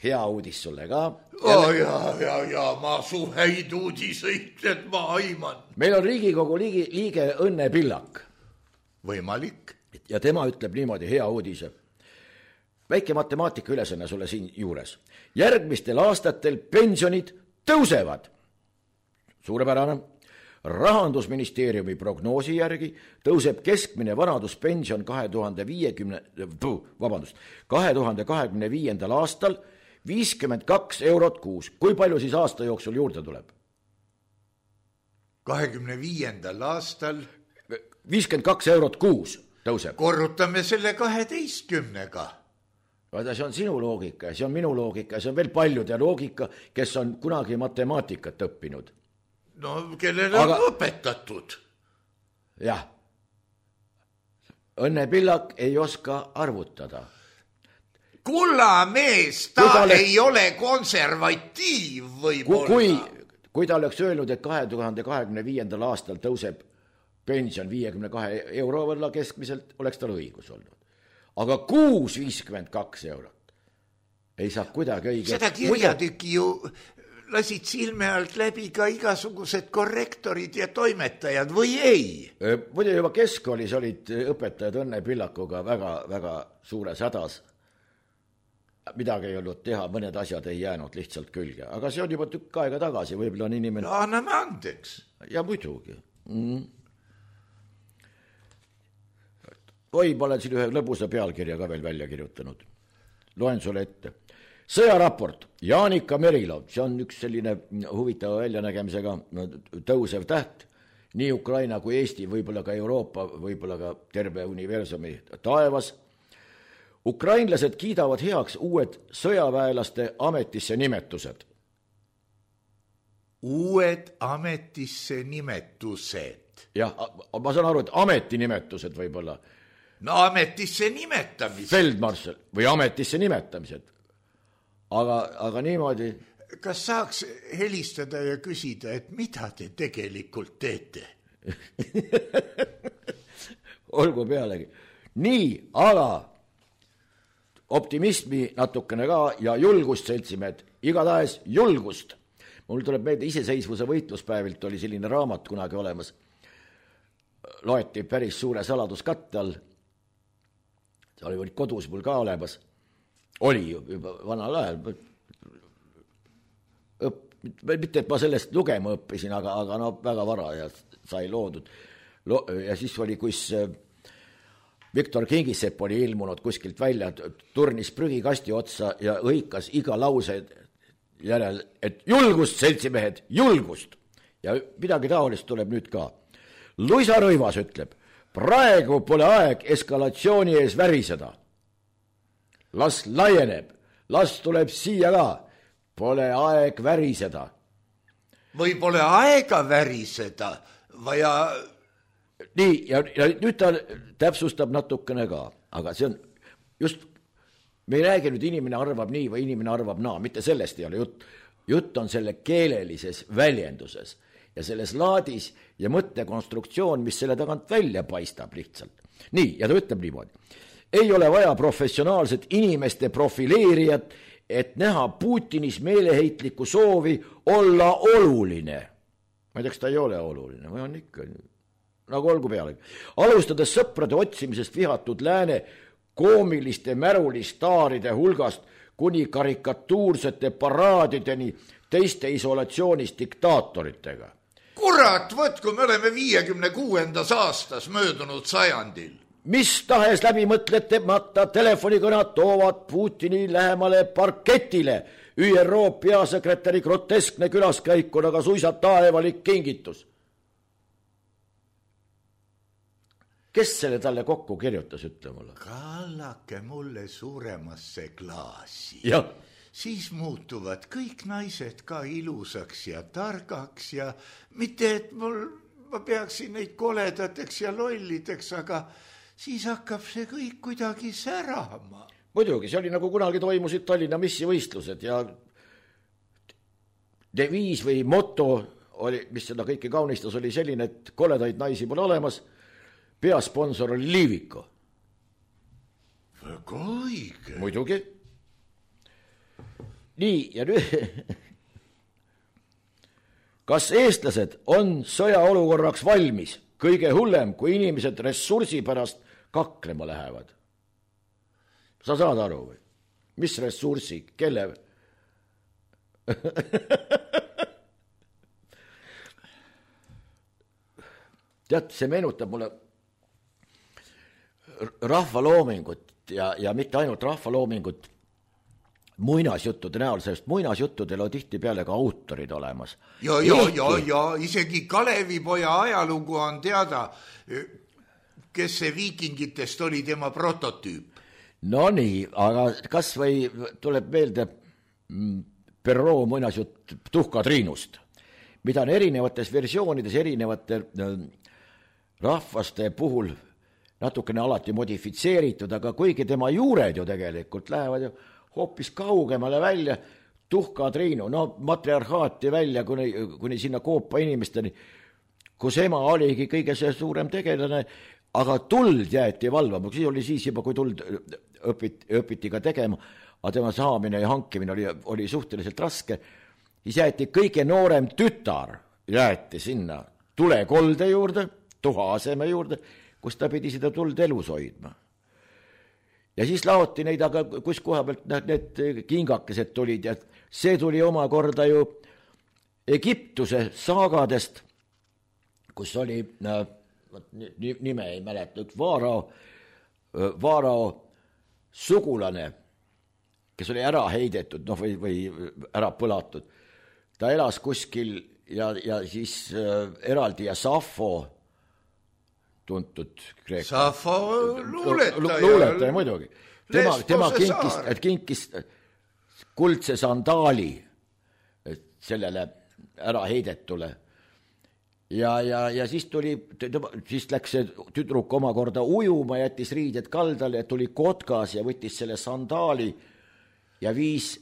hea uudis sulle ka. Oh, ja, ja, ja, ma su häid uudiseid, et ma aiman. Meil on Riigikogu liige, liige Õnne Pillak. Võimalik. Ja tema ütleb niimoodi, hea uudise. Väike matemaatika ülesanne sulle siin juures. Järgmistel aastatel pensionid tõusevad. Suurepärane. Rahandusministeeriumi prognoosi järgi tõuseb keskmine vanaduspension kahe tuhande viiekümne, vabandust, kahe tuhande kahekümne viiendal aastal viiskümmend kaks eurot kuus. Kui palju siis aasta jooksul juurde tuleb? kahekümne viiendal aastal viiskümmend kaks eurot kuus tõuseb. Korrutame selle kaheteistkümnega. Vaata, see on sinu loogika ja see on minu loogika ja see on veel paljude loogika, kes on kunagi matemaatikat õppinud. No, kellele on Aga... õpetatud. Jah. Õnne Pillak ei oska arvutada. Kulla mees, ta, ta oleks... ei ole konservatiiv võib-olla. Kui, kui ta oleks öelnud, et kahe tuhande kahekümne viiendal aastal tõuseb pension viiekümne kahe euro võrra keskmiselt, oleks tal õigus olnud. Aga kuus viiskümmend kaks eurot ei saa kuidagi õige. Seda kirjatüki ju lasid silme alt läbi ka igasugused korrektorid ja toimetajad või ei? Muide juba keskkoolis olid õpetajad Õnne Pillakuga väga, väga suures hädas. Midagi ei olnud teha, mõned asjad ei jäänud lihtsalt külge. Aga see on juba tükk aega tagasi, võib-olla on inimene... No anname andeks. Ja muidugi. Mm. Oi, ma olen siin ühe lõbusa pealkirja ka veel välja kirjutanud. Loen sulle ette. Sõjaraport. Jaanika Merilo, see on üks selline huvitava väljanägemisega tõusev täht nii Ukraina kui Eesti, võib-olla ka Euroopa, võib-olla ka terve universumi taevas. Ukrainlased kiidavad heaks uued sõjaväelaste ametisse nimetused. Uued ametisse nimetused. Jah, ma saan aru, et ametinimetused võib-olla. No ametisse nimetamised. Feldmarshal või ametisse nimetamised. Aga, aga niimoodi... Kas saaks helistada ja küsida, et mida te tegelikult teete? Olgu pealegi. Nii, aga optimismi natukene ka ja julgust, seltsimehed. Igatahes julgust. Mul tuleb meelde iseseisvuse võitluspäevilt oli selline raamat kunagi olemas. Loeti päris suure saladuskatte all. See oli kodus mul ka olemas. Oli juba vanal ajal. Õpp, mitte, et ma sellest lugema õppisin, aga, aga no väga vara ja sai loodud. Lo, ja siis oli, kus Viktor Kingisepp oli ilmunud kuskilt välja, turnis prügikasti otsa ja õikas iga lause järel, et julgust, seltsimehed, julgust. Ja midagi taolist tuleb nüüd ka. Luisa Rõivas ütleb, praegu pole aeg eskalatsiooni ees väriseda. Las laieneb, las tuleb siia ka. Pole aeg väriseda. Või pole aega väriseda, vaja... Nii, ja, ja nüüd ta täpsustab natukene ka, aga see on just, me ei räägi nüüd inimene arvab nii või inimene arvab naa, mitte sellest ei ole jutt. Jutt on selle keelelises väljenduses ja selles laadis ja mõttekonstruktsioon, mis selle tagant välja paistab lihtsalt. Nii, ja ta ütleb niimoodi. Ei ole vaja professionaalset inimeste profileerijat, et näha Putinis meeleheitlikku soovi olla oluline. Ma ei tea, kas ta ei ole oluline, või on ikka, nagu olgu pealegi. Alustades sõprade otsimisest vihatud lääne koomiliste märulistaaride hulgast kuni karikatuursete paraadideni teiste isolatsioonis diktaatoritega. Kurat, võt, kui me oleme viiekümne kuuendas aastas möödunud sajandil. Mis tahes läbimõtletemata telefonikõnad toovad Putini lähemale parketile. Ü R O peasekretäri groteskne külaskäik on aga suisa taevalik kingitus. Kes selle talle kokku kirjutas, ütle mulle? Kallake mulle suuremasse klaasi. Ja. Siis muutuvad kõik naised ka ilusaks ja targaks ja mitte, et mul, ma peaksin neid koledateks ja lollideks, aga... siis hakkab see kõik kuidagi särama. Muidugi, see oli nagu kunagi toimusid Tallinna missivõistlused ja deviis või moto, oli, mis seda kõike kaunistas, oli selline, et koledaid naisi pole olemas, peasponsor oli Liiviko. Väga õige. Muidugi. Nii, ja nüüd... Kas eestlased on sõjaolukorraks valmis? Kõige hullem, kui inimesed ressursi pärast kaklema lähevad. Sa saad aru või? Mis ressursi? Kelle? Tead, see meenutab mulle rahvaloomingut ja, ja mitte ainult rahvaloomingut muinasjuttude näol, sest muinasjuttudel on tihti peale ka autorid olemas. Ja, ja, ja, ja isegi Kalevipoja ajalugu on teada, kes see viikingitest oli tema prototüüp. No nii, aga kas või tuleb meelde Perrault muinasjutt Tuhkatriinust, mida on erinevates versioonides erinevate rahvaste puhul natukene alati modifitseeritud, aga kuigi tema juured ju tegelikult lähevad ju hoopis kaugemale välja, Tuhkatriinu, no matriarhaati välja kuni, kuni sinna Koopa inimesteni, kus ema oligi kõige see suurem tegelane, aga tuld jäeti valvama, siis oli siis juba, kui tuld õpiti, õpiti ka tegema, aga tema saamine ja hankimine oli, oli suhteliselt raske, siis jäeti kõige noorem tütar, jäeti sinna tulekolde juurde, tuha aseme juurde, kus ta pidi seda tuld elus hoidma. Ja siis laoti neid, aga kus koha pealt need kingakesed tulid ja see tuli omakorda ju Egiptuse saagadest, kus oli, nime ei mäleta, üks Vaarao, Vaarao sugulane, kes oli ära heidetud, noh, või, või ära põlatud. Ta elas kuskil ja, ja siis äh, eraldi ja Safo, tuntud kreeka. Safo luuletaja. Luuletaja muidugi. Tema, tema kinkis, kinkis kuldse sandaali sellele ära heidetule. Ja, ja, ja siis tuli, siis läks see tüdruk omakorda ujuma, jättis riided kaldale, tuli kotkas ja võttis selle sandaali ja viis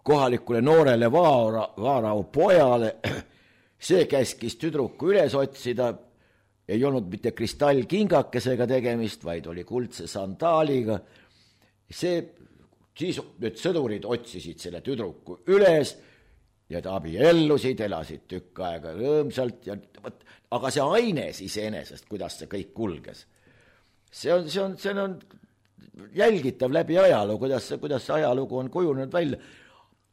kohalikule noorele vaara, vaarau pojale. See käskis tüdruku üles otsida. Ei olnud mitte kristallkingakesega tegemist, vaid oli kuldse sandaaliga. See, siis nüüd sõdurid otsisid selle tüdruku üles ja ta abiellusid, elasid tükk aega rõõmsalt. Ja, aga see aines iseenesest, kuidas see kõik kulges, see on, see on, see on jälgitav läbi ajaloo, kuidas, kuidas see ajalugu on kujunenud välja.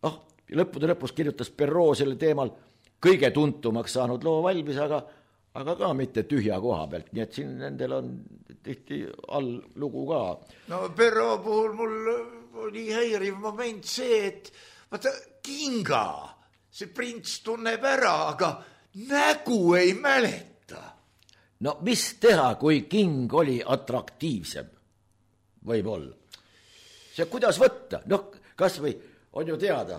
Ah, lõppude lõpus kirjutas Perrault selle teemal kõige tuntumaks saanud loo valmis, aga aga ka mitte tühja koha pealt, nii et siin nendel on tihti all lugu ka. No Perrault puhul mul oli häiriv moment see, et vaata kinga, see prints tunneb ära, aga nägu ei mäleta. No mis teha, kui king oli atraktiivsem? Võib-olla. See kuidas võtta? Noh, kas või on ju teada,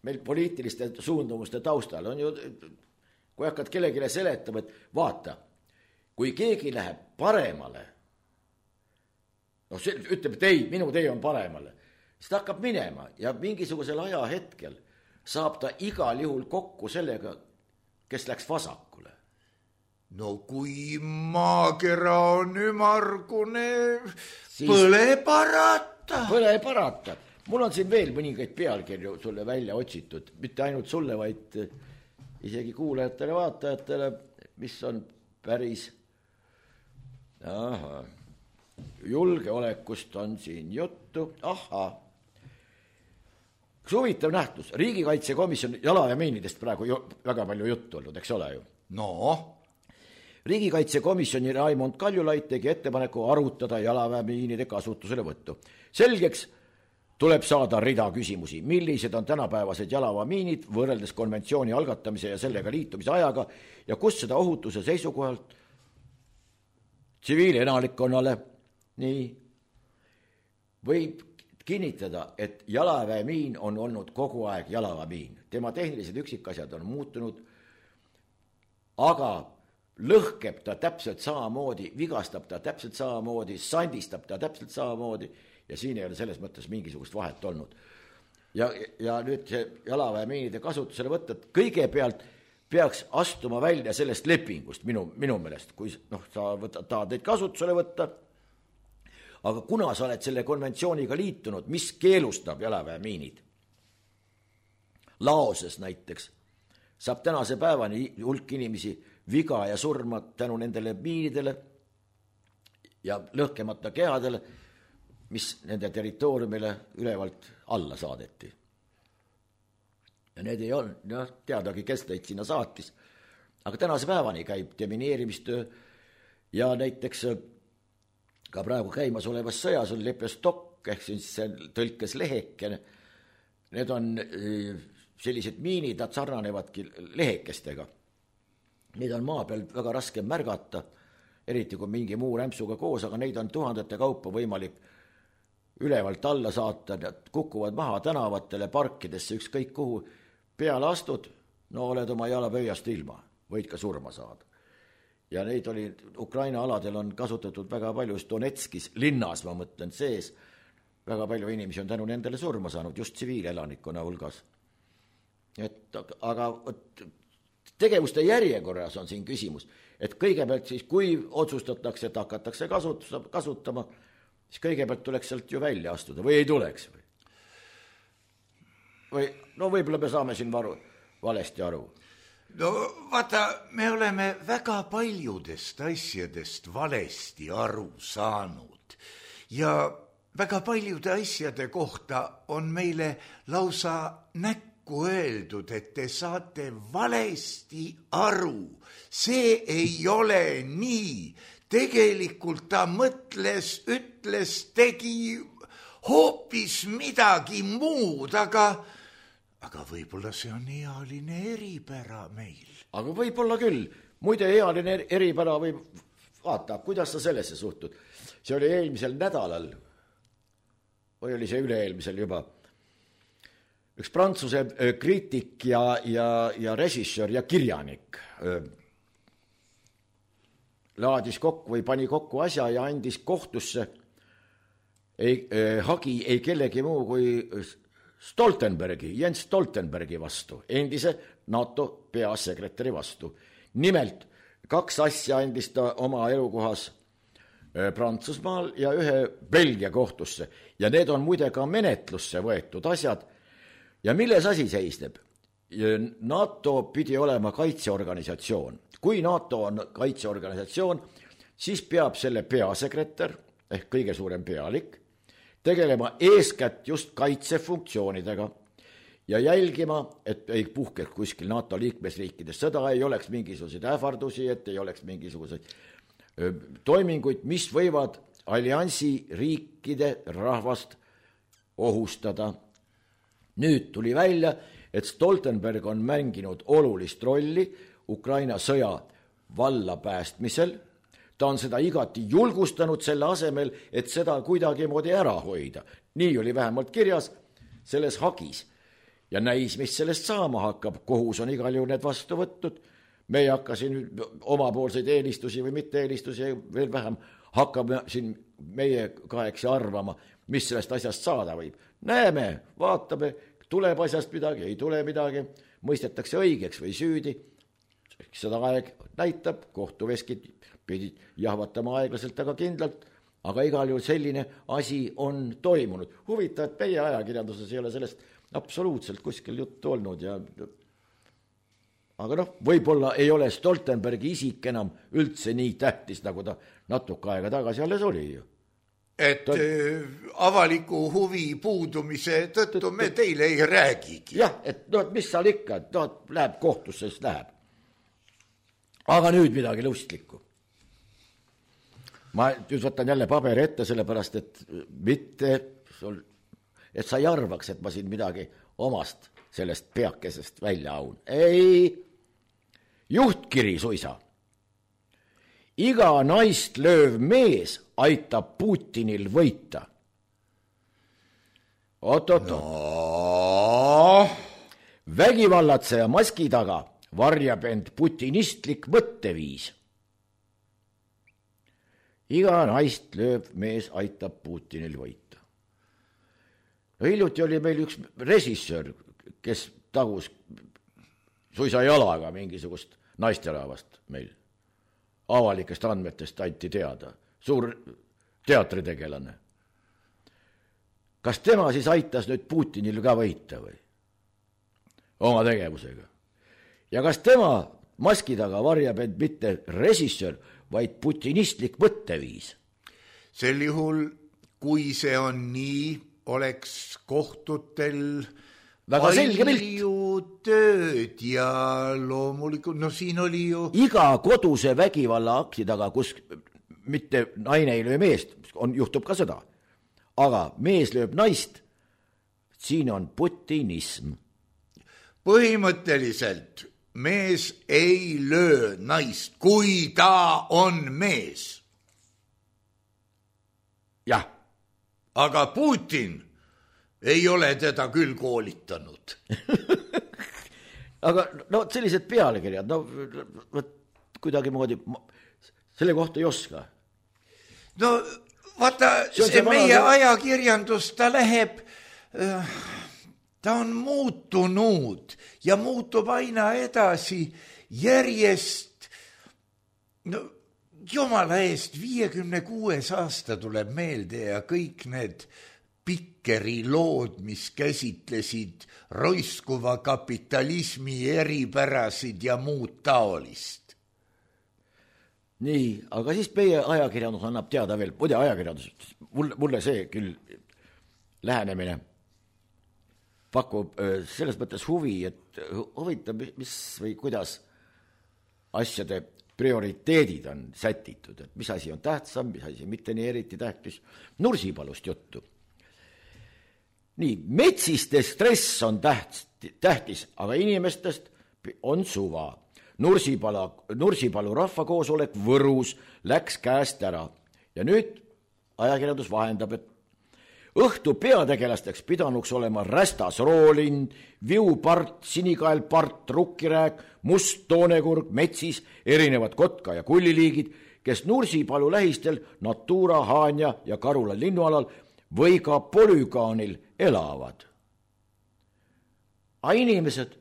meil poliitiliste suundumuste taustal on ju... Kui hakkad kellegile seletama, et vaata, kui keegi läheb paremale, no see ütleb, et ei, minu tee on paremale, siis ta hakkab minema ja mingisugusel ajahetkel saab ta igal juhul kokku sellega, kes läks vasakule. No kui maakera on ümargune, siis põle parata. Põle parata. Mul on siin veel mõningaid pealkirju sulle välja otsitud, mitte ainult sulle, vaid... isegi kuulajatele, vaatajatele, mis on päris aha, julgeolekust on siin juttu, aha. Üks huvitav nähtus, riigikaitsekomisjon jalaväemiinidest praegu ju, väga palju juttu olnud, eks ole ju? No? Riigikaitsekomisjoni Raimond Kaljulaid tegi ettepaneku arutada jalaväemiinide kasutusele võttu. Selgeks tuleb saada rida küsimusi, millised on tänapäevased jalaväemiinid võrreldes konventsiooni algatamise ja sellega liitumise ajaga ja kus seda ohutuse seisukohalt tsiviilenalikkonnale nii võib kinnitada, et jalaväemiin on olnud kogu aeg jalaväemiin. Tema tehnilised üksikasjad on muutunud, aga lõhkeb ta täpselt samamoodi, vigastab ta täpselt samamoodi, sandistab ta täpselt samamoodi ja siin ei ole selles mõttes mingisugust vahet olnud. Ja, ja nüüd see jalaväemiinide kasutusele võtta, et kõigepealt peaks astuma välja sellest lepingust minu, minu meelest, kui noh, sa võtta, tahad neid kasutusele võtta, aga kuna sa oled selle konventsiooniga liitunud, mis keelustab jalaväemiinid? Laoses näiteks saab tänase päevani hulk inimesi viga ja surma tänu nendele miinidele ja lõhkemata kehadele, mis nende territooriumile ülevalt alla saadeti. Ja need ei olnud, noh, teadagi, kes neid sinna saatis. Aga tänase päevani käib demineerimistöö ja näiteks ka praegu käimas olevas sõjas on lepestokk, ehk siis tõlkes lehekene. Need on sellised miinid, nad sarnanevadki lehekestega. Neid on maa peal väga raske märgata, eriti kui mingi muu rämpsuga koos, aga neid on tuhandete kaupa võimalik ülevalt alla saata, nad kukuvad maha tänavatele, parkidesse, ükskõik kuhu peale astud, no oled oma jalapöiast ilma, võid ka surma saada. Ja neid oli, Ukraina aladel on kasutatud väga palju, just Donetskis linnas, ma mõtlen sees, väga palju inimesi on tänu nendele surma saanud, just tsiviilelanikkonna hulgas. Et, aga tegevuste järjekorras on siin küsimus, et kõigepealt siis, kui otsustatakse, et hakatakse kasutama, siis kõigepealt tuleks sealt ju välja astuda või ei tuleks või? Või no võib-olla me saame siin varu, valesti aru. No vaata, me oleme väga paljudest asjadest valesti aru saanud ja väga paljude asjade kohta on meile lausa näkku öeldud, et te saate valesti aru. See ei ole nii. Tegelikult ta mõtles, ütles, tegi hoopis midagi muud, aga, aga võib-olla see on ealine eripära meil. aga võib-olla küll. Muide, ealine eripära võib, vaata, kuidas sa sellesse suhtud. See oli eelmisel nädalal, või oli see üle-eelmisel juba, üks prantsuse kriitik ja, ja, ja režissöör ja kirjanik laadis kokku või pani kokku asja ja andis kohtusse ei, eh, hagi ei kellegi muu kui Stoltenbergi, Jens Stoltenbergi vastu, endise NATO peasekretäri vastu. Nimelt, kaks asja andis ta oma elukohas eh, Prantsusmaal ja ühe Belgia kohtusse. Ja need on muide ka menetlusse võetud asjad. Ja milles asi seisneb? NATO pidi olema kaitseorganisatsioon. Kui NATO on kaitseorganisatsioon, siis peab selle peasekretär, ehk kõige suurem pealik, tegelema eeskätt just kaitsefunktsioonidega ja jälgima, et ei puhkeks kuskil NATO liikmesriikides sõda, ei oleks mingisuguseid ähvardusi, et ei oleks mingisuguseid toiminguid, mis võivad alliansi riikide rahvast ohustada. Nüüd tuli välja, et Stoltenberg on mänginud olulist rolli Ukraina sõja vallapäästmisel. Ta on seda igati julgustanud selle asemel, et seda kuidagi moodi ära hoida. Nii oli vähemalt kirjas selles hagis. Ja näis, mis sellest saama hakkab. Kohus on igal juhul need vastu võtnud. Me ei hakka siin omapoolseid eelistusi või mitte eelistusi veel vähem. Hakkame siin meie kaheks arvama, mis sellest asjast saada võib. Näeme, vaatame, tuleb asjast midagi, ei tule midagi, mõistetakse õigeks või süüdi. Seda aeg näitab, kohtuveskid pidid jahvatama aeglaselt, aga kindlalt, aga igal juhul selline asi on toimunud. Huvitav, et meie ajakirjanduses ei ole sellest absoluutselt kuskil juttu olnud. Ja... aga noh, võib-olla ei ole Stoltenbergi isik enam üldse nii tähtis, nagu ta natuke aega tagasi alles oli ju. Et ta... avaliku huvi puudumise tõttu me teile ei räägigi. Jah, et no, mis seal ikka, no, läheb kohtusse, siis läheb. Aga nüüd midagi lustlikku. Ma nüüd võtan jälle paberi ette, sellepärast, et mitte, et sa ei arvaks, et ma siin midagi omast sellest peakesest välja aun. Ei, juhtkiri suisa. Iga naist lööv mees aitab Putinil võita. Oot-oot-oot. No. Vägivallatseja maski taga varjab end putinistlik mõtteviis. Iga naist lööv mees aitab Putinil võita. No, hiljuti oli meil üks režissöör, kes tagus suisa jalaga mingisugust naisterahvast meil. Avalikest andmetest anti teada. Suur teatritegelane. Kas tema siis aitas nüüd Putinil ka võita või? Oma tegevusega. Ja kas tema maski taga varjab end mitte režissöör, vaid putinistlik mõtteviis? Sel juhul, kui see on nii, oleks kohtutel väga selge palju tööd ja loomulikult, no siin oli ju... Iga koduse vägivalla akti taga, kus mitte naine ei löö meest, on, juhtub ka seda. Aga mees lööb naist, siin on putinism. Põhimõtteliselt mees ei löö naist, kui ta on mees. Jah. Aga Putin ei ole teda küll koolitanud. Aga no sellised pealekirjad, no kuidagi moodi, selle kohta ei oska. No vaata, see, see meie vana... ajakirjandus, ta läheb, ta on muutunud ja muutub aina edasi järjest, no jumala eest, viiekümne kuues aasta tuleb meelde ja kõik need Pikkeri lood, mis käsitlesid roiskuva kapitalismi eripärasid ja muud taolist. Nii, aga siis meie ajakirjandus annab teada veel, muide ajakirjandus, mulle, mulle see küll lähenemine pakub selles mõttes huvi, et huvitav, mis või kuidas asjade prioriteedid on sätitud, et mis asi on tähtsam, mis asi mitte nii eriti tähtis. Nursipalust juttu. Nii, metsiste stress on täht, tähtis, aga inimestest on suva. Nursipalu, Nursipalu rahvakoosolek Võrus läks käest ära ja nüüd ajakirjandus vahendab, et õhtu peategelasteks pidanuks olema rästas roolind, viupart, sinikaelpart, rukkirääk, must toonekurg, metsis, erinevad kotka ja kulliliigid, kes Nursipalu lähistel Natura, Haanja ja Karula linnualal või ka polügaanil elavad. A inimesed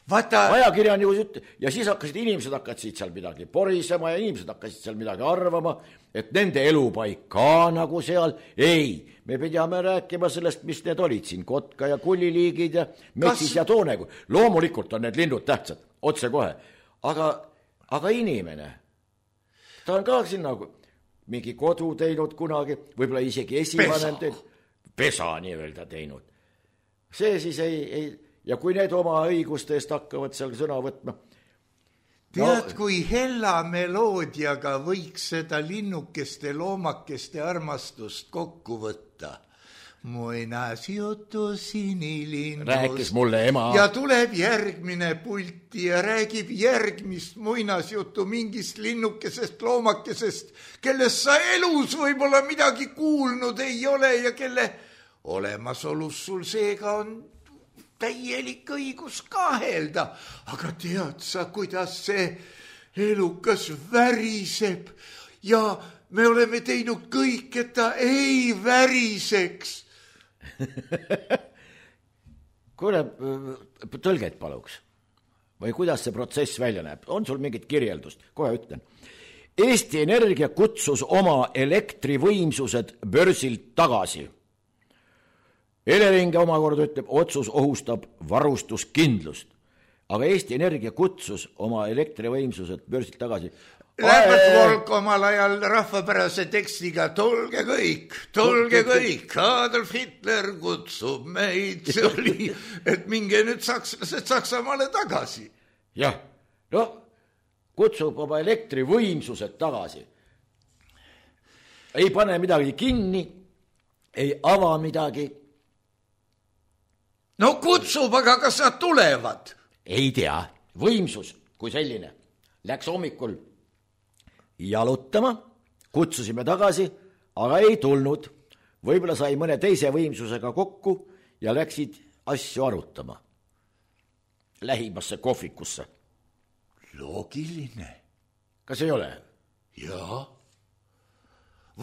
Vaata... ajakirjan ju üt- ja siis hakkasid inimesed hakkasid seal midagi porisema ja inimesed hakkasid seal midagi arvama, et nende elupaik ka nagu seal. Ei, me pidime rääkima sellest, mis need olid siin, kotka ja kulliliigid ja metsis Kas... ja toonegu. Loomulikult on need linnud tähtsad, otse kohe. Aga, aga inimene, ta on ka siin nagu mingi kodu teinud kunagi, võib-olla isegi esivanem teinud. Pesa nii-öelda teinud. See siis ei... ei ja kui need oma õiguste eest hakkavad seal sõna võtma. Tead, no, kui hella meloodiaga võiks seda linnukeste, loomakeste armastust kokku võtta. Muinasjutu sinilinnust. Rääkis mulle ema. Ja tuleb järgmine pulti ja räägib järgmist muinasjutu mingist linnukesest, loomakesest, kellest sa elus võib-olla midagi kuulnud ei ole ja kelle olemasolus sul seega on täielik õigus kahelda, aga tead sa, kuidas see elukas väriseb ja me oleme teinud kõik, et ta ei väriseks. Kuule, tõlget paluks. Või kuidas see protsess välja näeb? On sul mingit kirjeldust? Kohe ütlen. Eesti Energia kutsus oma elektrivõimsused börsilt tagasi. Elering omakorda ütleb, otsus ohustab varustuskindlust. Aga Eesti Energia kutsus oma elektrivõimsused börsilt tagasi. Läbert Volk omal ajal rahvapärase tekstiga tulge kõik, tulge kõik, Adolf Hitler kutsub meid, see oli, et minge nüüd sakslased Saksamaale tagasi. Jah, no kutsub oma elektrivõimsused tagasi. Ei pane midagi kinni, ei ava midagi. No kutsub, aga kas nad tulevad? Ei tea, võimsus kui selline. Läks hommikul jalutama, kutsusime tagasi, aga ei tulnud. Võib-olla sai mõne teise võimsusega kokku ja läksid asju arutama. Lähimasse kohvikusse. Loogiline. Kas ei ole? Jaa.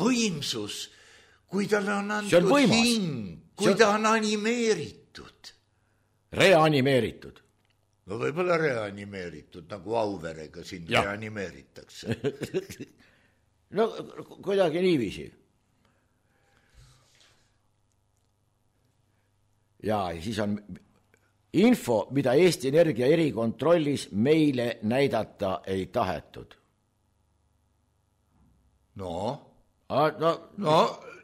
Võimsus, kui tal on antud hing, kui ta on animeeritud. Reanimeeritud. No võib-olla reanimeeritud, nagu Auverega sind ja. Reanimeeritakse. No kuidagi niiviisi. Ja siis on info, mida Eesti Energia erikontrollis meile näidata ei tahetud. No? A, no, no,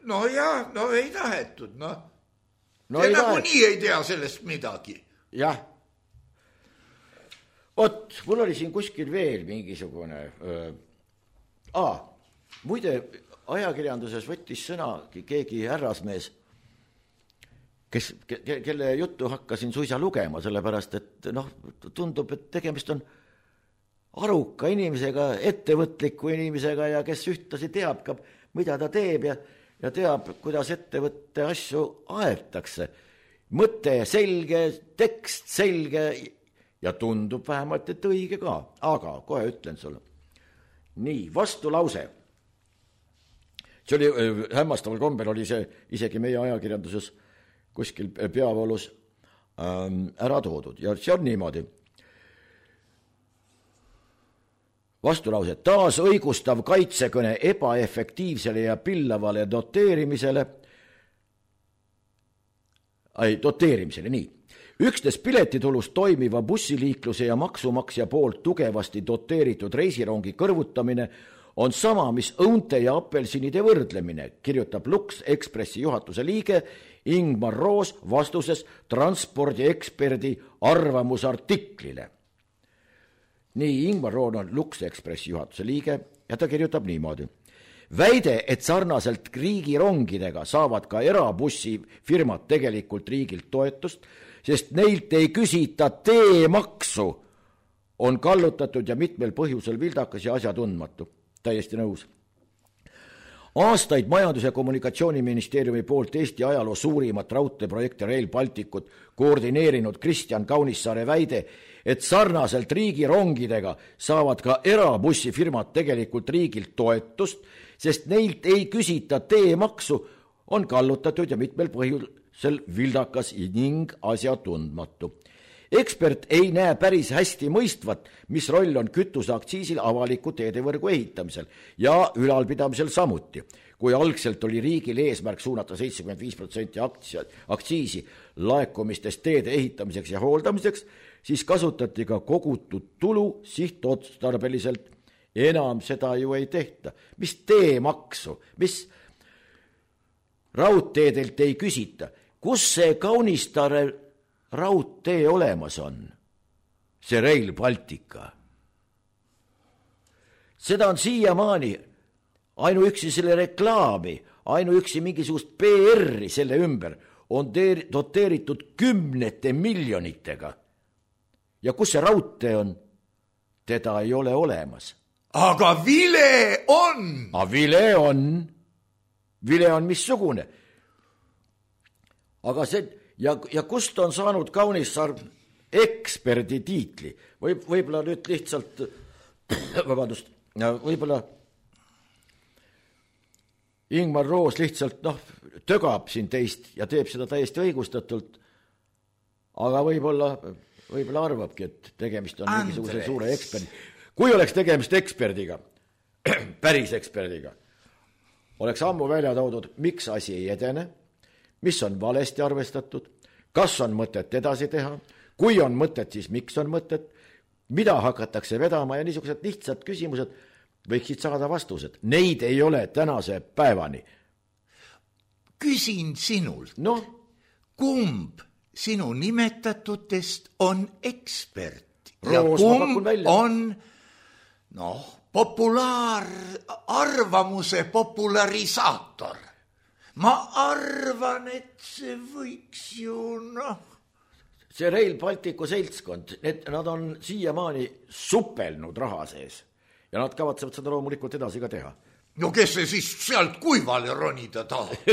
no ja, no ei tahetud, no. No Te nagu nii ei tea sellest midagi. Jah. Ot, mul oli siin kuskil veel mingisugune... Öö, aa, muide, ajakirjanduses võttis sõna keegi härrasmees, kes, ke, kelle juttu hakkasin suisa lugema, sellepärast, et noh, tundub, et tegemist on aruka inimesega, ettevõtliku inimesega ja kes ühtlasi teab ka, mida ta teeb ja ja teab, kuidas ettevõtte asju aetakse. Mõte selge, tekst selge ja tundub vähemalt, et õige ka. Aga kohe ütlen sulle. Nii, vastulause. See oli hämmastaval kombel, oli see isegi meie ajakirjanduses kuskil peavoolus ähm, ära toodud. Ja see on niimoodi. Vastulause, taas õigustav kaitsekõne ebaefektiivsele ja pillavale doteerimisele, ei, doteerimisele, nii. Üksnes piletitulust toimiva bussiliikluse ja maksumaksja poolt tugevasti doteeritud reisirongi kõrvutamine on sama, mis õunte ja apelsinide võrdlemine, kirjutab Lux Expressi juhatuse liige Ingmar Roos vastuses transpordieksperdi arvamusartiklile. Nii, Ingmar Roon on Lux Expressi juhatuse liige ja ta kirjutab niimoodi. väide, et sarnaselt riigirongidega saavad ka erabussifirmad tegelikult riigilt toetust, sest neilt ei küsita teemaksu, on kallutatud ja mitmel põhjusel vildakas ja asjatundmatu. Täiesti nõus. Aastaid Majandus- ja Kommunikatsiooniministeeriumi poolt Eesti ajaloo suurimat raudteeprojekti Rail Balticut koordineerinud Kristjan Kaunissaare väide, et sarnaselt riigirongidega saavad ka erabussifirmad tegelikult riigilt toetust, sest neilt ei küsita teemaksu, on kallutatud ja mitmel põhjusel vildakas ning asjatundmatu. Ekspert ei näe päris hästi mõistvat, mis roll on kütuseaktsiisil avaliku teedevõrgu ehitamisel ja ülalpidamisel samuti. Kui algselt oli riigil eesmärk suunata seitsekümmend viis protsenti aktsiisi laekumistest teede ehitamiseks ja hooldamiseks, siis kasutati ka kogutud tulu sihtotstarbeliselt. Enam seda ju ei tehta. Mis teemaksu, mis raudteedelt ei küsita? Kus see Kaunissaare raudtee olemas on? See Rail Baltica. Seda on siiamaani ainuüksi selle reklaami, ainuüksi mingisugust P R-i selle ümber on doteeritud kümnete miljonitega. Ja kus see raudtee on? Teda ei ole olemas. Aga vile on! A vile on. Vile on missugune. Aga see, ja, ja kust on saanud Kaunissaar eksperdi tiitli? Võib, võib-olla nüüd lihtsalt, vabandust, võib-olla Ingmar Roos lihtsalt noh, tögab siin teist ja teeb seda täiesti õigustatult, aga võib-olla, võib-olla arvabki, et tegemist on Andres. mingisuguse suure eksperdi. Kui oleks tegemist eksperdiga, päris eksperdiga, oleks ammu välja toodud, miks asi ei edene, mis on valesti arvestatud, kas on mõtet edasi teha, kui on mõtet, siis miks on mõtet, mida hakatakse vedama ja niisugused lihtsad küsimused võiksid saada vastused. Neid ei ole tänase päevani. Küsin sinult, no? kumb sinu nimetatutest on ekspert Roos, ja kumb on noh, populaar, arvamuse popularisaator? Ma arvan, et see võiks ju noh. See Rail Balticu seltskond, need, nad on siiamaani supelnud raha sees ja nad kavatsevad seda loomulikult edasi ka teha. No kes see siis sealt kuivale ronida tahab?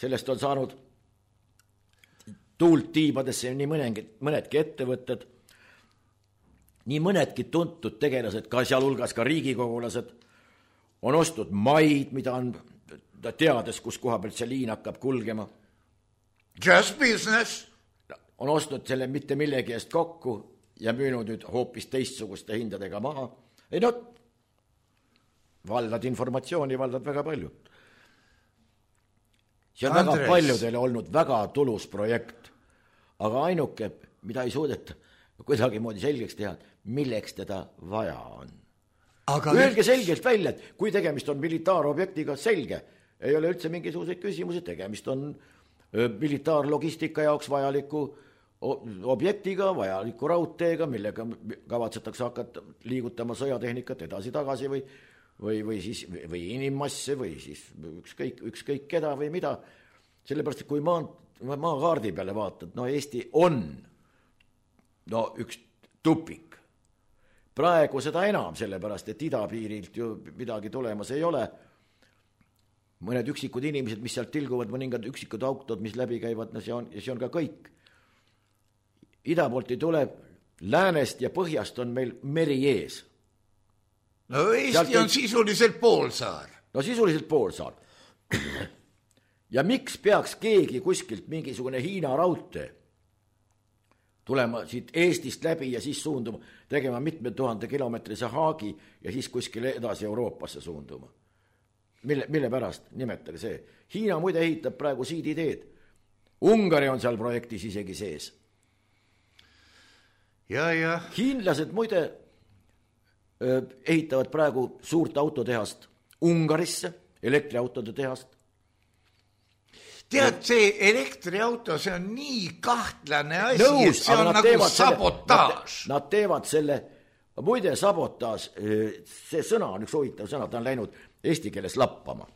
Sellest on saanud tuult tiibadesse nii mõnedki, mõnedki ettevõtted, nii mõnedki tuntud tegelased, ka sealhulgas ka riigikogulased, on ostnud maid, mida on teades, kus koha pealt see liin hakkab kulgema. Just business. On ostnud selle mitte millegi eest kokku ja müünud nüüd hoopis teistsuguste hindadega maha. Ei no, valdad informatsiooni, valdad väga palju. See on Andres. Väga paljudele olnud väga tulus projekt, aga ainuke, mida ei suudeta kuidagi moodi selgeks teha, milleks teda vaja on. Aga Öelge selgelt välja, et kui tegemist on militaarobjektiga, selge, ei ole üldse mingisuguseid küsimusi, tegemist on militaarlogistika jaoks vajaliku objektiga, vajaliku raudteega, millega kavatsetakse hakata liigutama sõjatehnikat edasi-tagasi või, või, või, siis, või inimmasse või siis ükskõik, ükskõik keda või mida. Sellepärast, et kui maa, maakaardi peale vaatad, no Eesti on no üks tupik. Praegu seda enam, sellepärast, et idapiirilt ju midagi tulemas ei ole. Mõned üksikud inimesed, mis sealt tilguvad, mõningad üksikud autod, mis läbi käivad, no see on, see on ka kõik. Ida poolt ei tule, läänest ja põhjast on meil meri ees. No Eesti sealt on ei... sisuliselt poolsaar. No sisuliselt poolsaar. Ja miks peaks keegi kuskilt mingisugune Hiina raudtee tulema siit Eestist läbi ja siis suunduma, tegema mitme tuhande kilomeetrise haagi ja siis kuskile edasi Euroopasse suunduma? Mille, mille pärast? Nimetage see. Hiina muide ehitab praegu siiditeed. Ungari on seal projektis isegi sees. Ja, ja. Hiinlased muide öö, ehitavad praegu suurt autotehast Ungarisse, elektriautode tehast. Tead, see elektriauto, see on nii kahtlane asi, Nõus, et see on nagu sabotaaž. Nad, nad teevad selle muide, sabotaaž, see sõna on üks huvitav sõna, ta on läinud eesti keeles lappama.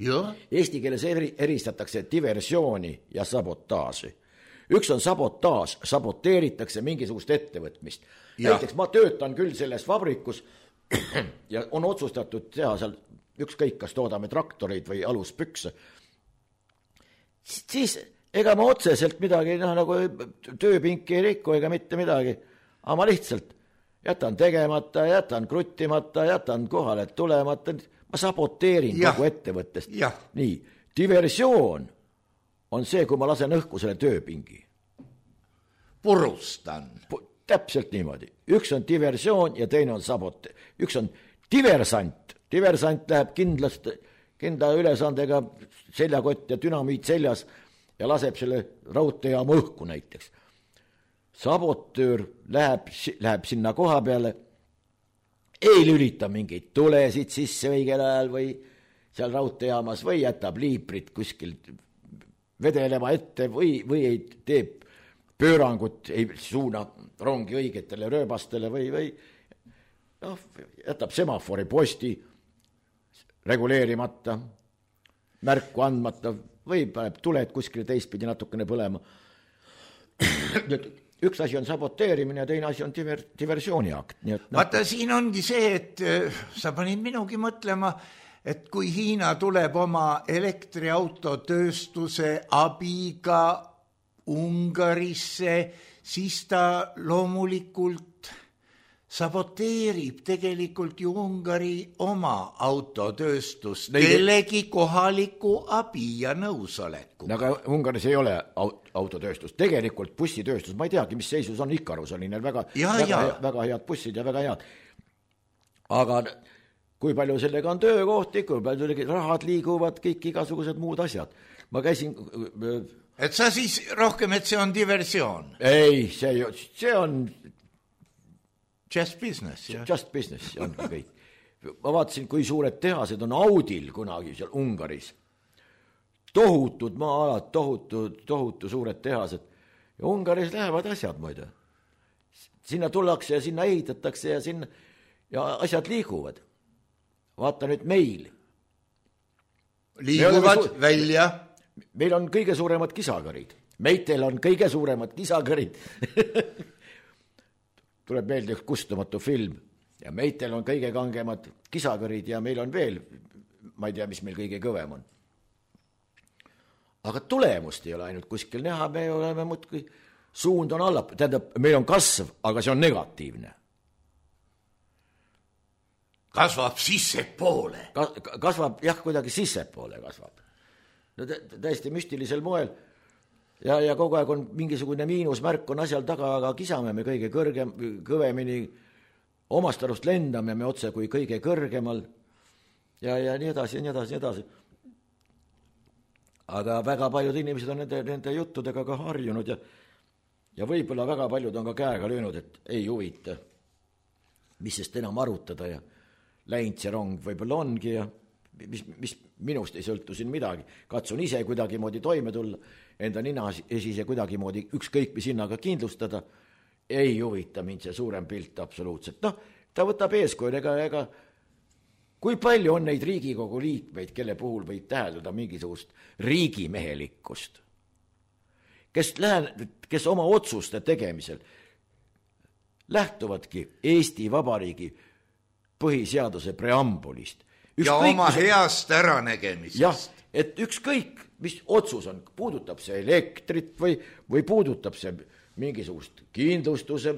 Ja. Eesti keeles eri, eristatakse diversiooni ja sabotaaži. Üks on sabotaaž, saboteeritakse mingisugust ettevõtmist. Ja. Näiteks ma töötan küll selles vabrikus ja on otsustatud teha seal ükskõik, kas toodame traktoreid või aluspükse. Siis ega ma otseselt midagi, noh, nagu tööpinki ei rikku ega mitte midagi, aga ma lihtsalt jätan tegemata, jätan kruttimata, jätan kohale tulemata, ma saboteerin ja. Kogu ettevõttest. Ja. Nii, diversioon on see, kui ma lasen õhku selle tööpingi. Purustan. Täpselt niimoodi. Üks on diversioon ja teine on sabote. Üks on diversant. Diversant läheb kindlast, kindla ülesandega seljakott ja dünamiit seljas ja laseb selle raudteejaama õhku näiteks. Sabotöör läheb, läheb sinna koha peale, ei lülita mingeid tulesid sisse õigel ajal või seal raudteejaamas või jätab liiprit kuskil vedelema ette või, või ei teeb pöörangut, ei suuna rongi õigetele rööbastele või, või noh, jätab semafori posti reguleerimata, märku andmata või paneb tuled kuskile teistpidi natukene põlema. Üks asi on saboteerimine ja teine asi on diver, diversiooniakt. Nii et, no. Vaata, siin ongi see, et sa panid minugi mõtlema, et kui Hiina tuleb oma elektriautotööstuse abiga Ungarisse, siis ta loomulikult saboteerib tegelikult ju Ungari oma autotööstust kellegi kohaliku abi ja nõusoleku. Aga Ungaris ei ole autotööstus. Tegelikult bussitööstus, ma ei teagi, mis seisus on Ikarus, oli neil väga, ja, väga, ja. väga head bussid ja väga head. Aga kui palju sellega on töökohti, kui palju rahad liiguvad, kõik igasugused muud asjad. Ma käisin... Et sa siis rohkem, et see on diversioon? Ei, see, see on... Just business. Ja. Just business on kõik. Ma vaatasin, kui suured tehased on Audil kunagi seal Ungaris. Tohutud maa-alad, tohutu, tohutu suured tehased. Ja Ungaris lähevad asjad, muide. Sinna tullakse ja sinna ehitatakse ja, sinna, ja asjad liiguvad. Vaata nüüd meil. Liiguvad su- välja. Meil on kõige suuremad kisakarid. Meitel on kõige suuremad kisakarid. Tuleb meelde üks kustumatu film ja meitel on kõige kangemad kisakarid ja meil on veel, ma ei tea, mis meil kõige kõvem on. Aga tulemust ei ole ainult kuskil näha, me oleme muudkui, suund on alla, tähendab, meil on kasv, aga see on negatiivne. Kasvab sissepoole. Kas, kasvab, jah, kuidagi sissepoole kasvab. No täiesti müstilisel moel. Ja, ja kogu aeg on mingisugune miinusmärk on asjal taga, aga kisame me kõige kõrgem, kõvemini omast arust lendame me otse kui kõige kõrgemal ja, ja nii edasi, nii edasi, nii edasi. Aga väga paljud inimesed on nende, nende juttudega ka harjunud ja, ja võib-olla väga paljud on ka käega löönud, et ei huvita, mis sest enam arutada ja läinud see rong võib-olla ongi ja mis, mis minust ei sõltu siin midagi. Katsun ise kuidagi moodi toime tulla, enda nina esise kuidagi moodi ükskõik mis hinnaga kindlustada, ei huvita mind see suurem pilt absoluutselt. Noh, ta võtab eeskuju, ega, ega kui palju on neid Riigikogu liikmeid, kelle puhul võib täheldada mingisugust riigimehelikkust, kes, lähe, kes oma otsuste tegemisel lähtuvadki Eesti Vabariigi põhiseaduse preambulist. Ükskõik, ja oma heast äranägemisest. Jah, et ükskõik, mis otsus on, puudutab see elektrit või, või puudutab see mingisugust kindlustuse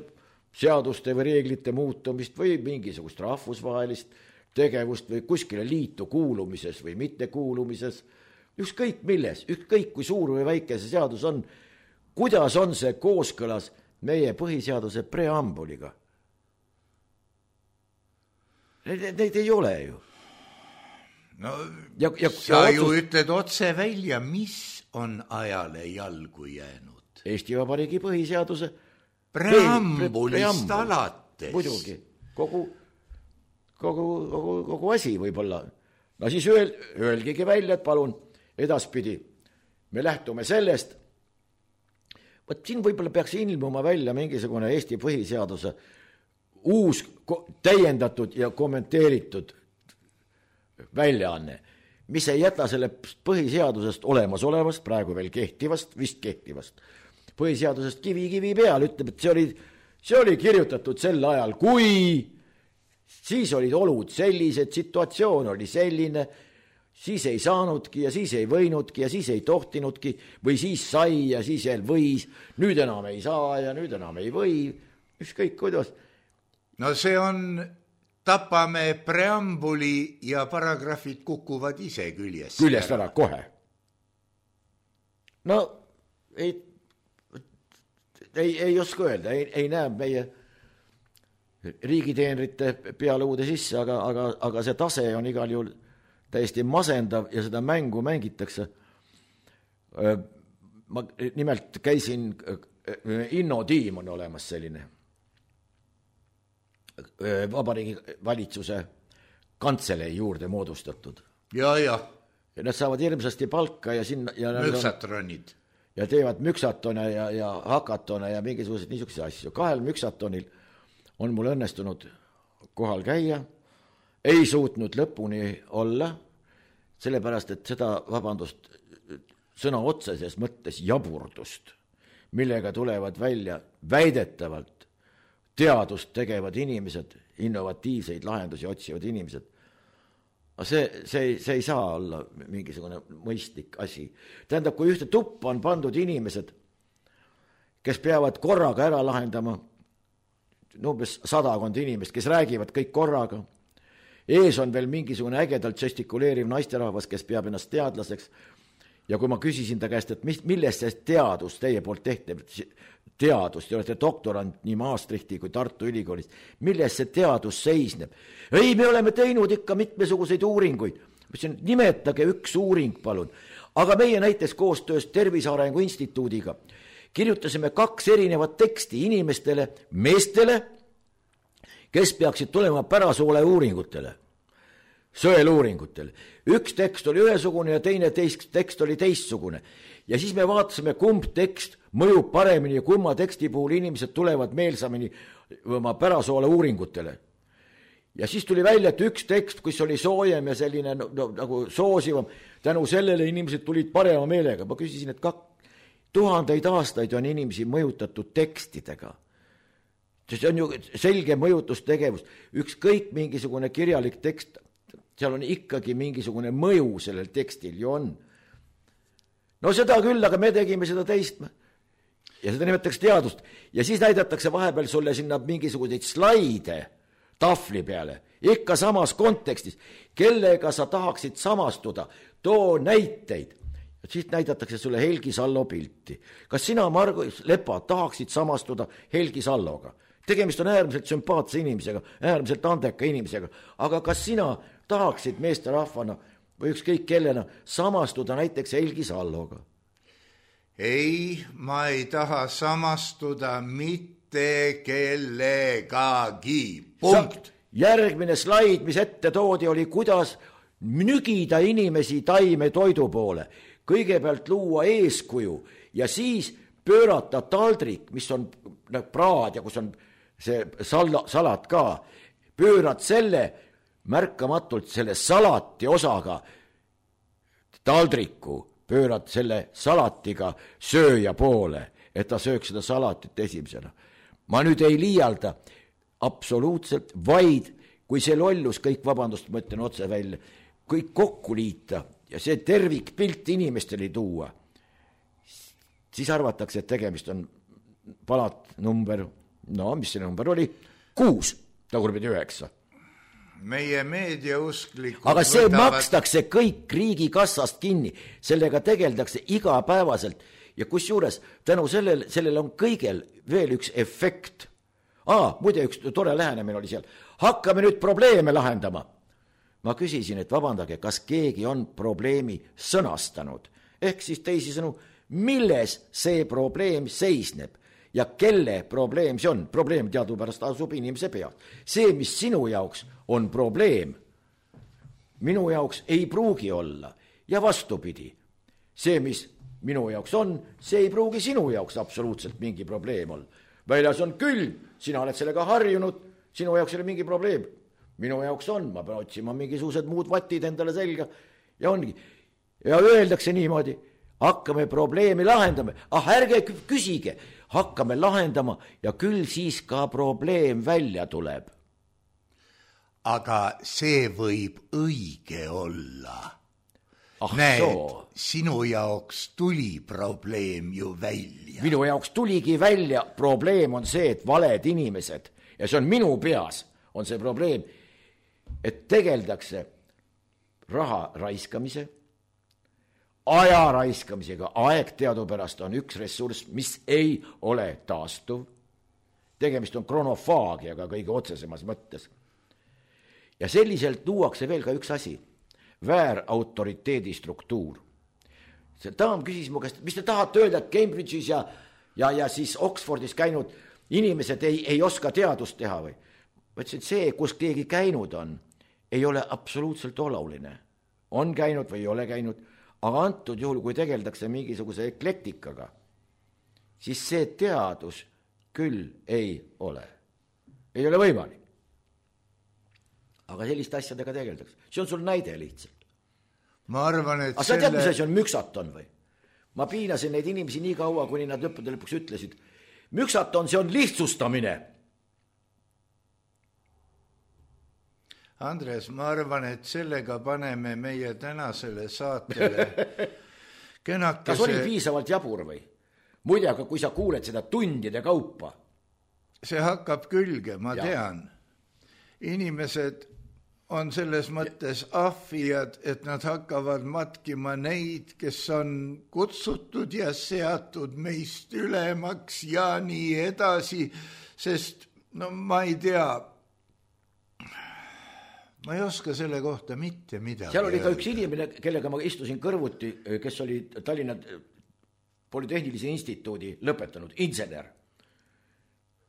seaduste või reeglite muutumist või mingisugust rahvusvahelist tegevust või kuskile liitu kuulumises või mitte kuulumises, ükskõik milles, ükskõik kui suur või väike see seadus on, kuidas on see kooskõlas meie põhiseaduse preambuliga. Neid, neid ei ole ju. No, ja, ja, sa ja ju otsus... ütled otse välja, mis on ajale jalgu jäänud. Eesti Vabariigi põhiseaduse preambulist alates. Muidugi, kogu, kogu, kogu, kogu asi võib-olla. No siis öel, öelgigi välja, et palun edaspidi me lähtume sellest, võt siin võib-olla peaks ilmuma välja mingisugune Eesti põhiseaduse uus täiendatud ja kommenteeritud väljaanne, mis ei jäta selle põhiseadusest olemasolevast, praegu veel kehtivast, vist kehtivast, põhiseadusest kivi kivi peal, ütleb, et see oli, see oli kirjutatud sel ajal, kui siis olid olud sellised, situatsioon oli selline, siis ei saanudki ja siis ei võinudki ja siis ei tohtinudki või siis sai ja siis veel võis, nüüd enam ei saa ja nüüd enam ei või, ükskõik kuidas. No see on, tapame preambuli ja paragrahvid kukuvad ise küljest. Küljest ära, kohe. No ei, ei, ei oska öelda, ei, ei näe meie riigiteenrite peale uude sisse, aga, aga, aga see tase on igal juhul täiesti masendav ja seda mängu mängitakse. Ma nimelt käisin, Inno Tiim on olemas selline Vabariigi valitsuse kantselei juurde moodustatud. Ja, ja. Ja nad saavad hirmsasti palka ja sinna... Ja müksatronid. Ja teevad müksatone ja, ja hakatone ja mingisugused niisugused asju. Kahel müksatonil on mul õnnestunud kohal käia, ei suutnud lõpuni olla, sellepärast, et seda, vabandust, sõna otseses mõttes jaburdust, millega tulevad välja väidetavalt teadust tegevad inimesed, innovatiivseid lahendusi otsivad inimesed. See, see, see ei saa olla mingisugune mõistlik asi. Tähendab, kui ühte tuppa on pandud inimesed, kes peavad korraga ära lahendama, umbes sadakond inimest, kes räägivad kõik korraga, ees on veel mingisugune ägedalt žestikuleeriv naisterahvas, kes peab ennast teadlaseks, ja kui ma küsisin ta käest, et mis, milles see teadus teie poolt tehti, teadus, te olete doktorant nii Maastrichti kui Tartu Ülikoolist, milles see teadus seisneb? Ei, me oleme teinud ikka mitmesuguseid uuringuid. Nimetage üks uuring, palun. Aga meie näiteks koostöös Tervise Arengu Instituudiga kirjutasime kaks erinevat teksti inimestele, meestele, kes peaksid tulema pärasoole uuringutele, sõeluuringutele. Üks tekst oli ühesugune ja teine teist, tekst oli teistsugune. Ja siis me vaatasime, kumb tekst mõjub paremini ja kumma teksti puhul inimesed tulevad meelsamini oma pärasoole uuringutele. Ja siis tuli välja, et üks tekst, kus oli soojem ja selline no, no, nagu soosivam, tänu sellele inimesed tulid parema meelega. Ma küsisin, et kak, tuhandeid aastaid on inimesi mõjutatud tekstidega. See on ju selge mõjutustegevus. Ükskõik mingisugune kirjalik tekst, seal on ikkagi mingisugune mõju sellel tekstil ju on. No seda küll, aga me tegime seda teist. Ja seda nimetatakse teadust. Ja siis näidatakse vahepeal sulle sinna mingisuguseid slaide tahvli peale, ikka samas kontekstis, kellega sa tahaksid samastuda, too näiteid. Ja siis näidatakse sulle Helgi Sallo pilti. Kas sina, Margo Lepa, tahaksid samastuda Helgi Salloga? Tegemist on äärmiselt sümpaatse inimesega, äärmiselt andeka inimesega, aga kas sina tahaksid meeste rahvana või ükskõik kellena samastuda näiteks Helgi Salloga? Ei, ma ei taha samastuda mitte kellegagi. Punkt. Järgmine slaid, mis ette toodi, oli kuidas nügida inimesi taime toidu poole. Kõigepealt luua eeskuju ja siis pöörata taldrik, mis on praad ja kus on see sal- salat ka. Pöörad selle märkamatult selle salati osaga taldriku, pöörad selle salatiga sööja poole, et ta sööks seda salatit esimesena. Ma nüüd ei liialda absoluutselt, vaid kui see lollus kõik, vabandust, ma ütlen otse välja, kõik kokku liita ja see tervikpilt inimestele tuua, siis arvatakse, et tegemist on palat number, no mis see number oli, kuus, tagurpidi üheksa. Meie meediausklikud aga see võtavad... makstakse kõik riigi kassast kinni, sellega tegeldakse igapäevaselt ja kus juures tänu sellel, sellel on kõigel veel üks efekt. Aa, muide üks tore lähenemine oli seal. Hakkame nüüd probleeme lahendama. Ma küsisin, et vabandage, kas keegi on probleemi sõnastanud. Ehk siis teisisõnu, milles see probleem seisneb ja kelle probleem see on. Probleem teadupärast asub inimese peal. See, mis sinu jaoks on probleem, minu jaoks ei pruugi olla ja vastupidi. See, mis minu jaoks on, see ei pruugi sinu jaoks absoluutselt mingi probleem olla. Väljas on külm, sina oled sellega harjunud, sinu jaoks ei ole mingi probleem. Minu jaoks on, ma pean otsima mingisugused muud vatid endale selga ja ongi. Ja öeldakse niimoodi, hakkame probleemi lahendama. Ah, ärge küsige, hakkame lahendama ja küll siis ka probleem välja tuleb. Aga see võib õige olla. Ah, näed, soo. Sinu jaoks tuli probleem ju välja. Minu jaoks tuligi välja, probleem on see, et valed inimesed, ja see on minu peas, on see probleem, et tegeldakse raha raiskamise, aja raiskamisega. Aeg teadupärast on üks ressurss, mis ei ole taastuv. Tegemist on kronofaagiaga kõige otsesemas mõttes. Ja selliselt luuakse veel ka üks asi, väär autoriteedi struktuur. See daam küsis mu käest, mis te tahate öelda, et Cambridge'is ja, ja, ja siis Oxfordis käinud inimesed ei, ei oska teadust teha või? Ma ütlesin, et see, kus keegi käinud on, ei ole absoluutselt oluline. On käinud või ei ole käinud, aga antud juhul, kui tegeldakse mingisuguse eklektikaga, siis see teadus küll ei ole. Ei ole võimalik. Aga selliste asjadega tegeldakse. See on sul näide lihtsalt. Ma arvan, et aga sa tead, mis asi on müksaton või? Ma piinasin neid inimesi nii kaua, kuni nad lõppude lõpuks ütlesid. Müksaton, see on lihtsustamine. Andres, ma arvan, et sellega paneme meie tänasele saatele kenakese... Kas oli piisavalt jabur või? Muide, aga kui sa kuuled seda tundide kaupa. See hakkab külge, ma ja. tean. Inimesed on selles mõttes ahvijad, et nad hakkavad matkima neid, kes on kutsutud ja seatud meist ülemaks ja nii edasi, sest no ma ei tea, ma ei oska selle kohta mitte midagi. Seal oli ka üks inimene, kellega ma istusin kõrvuti, kes oli Tallinna Polütehnilise instituudi lõpetanud, insener,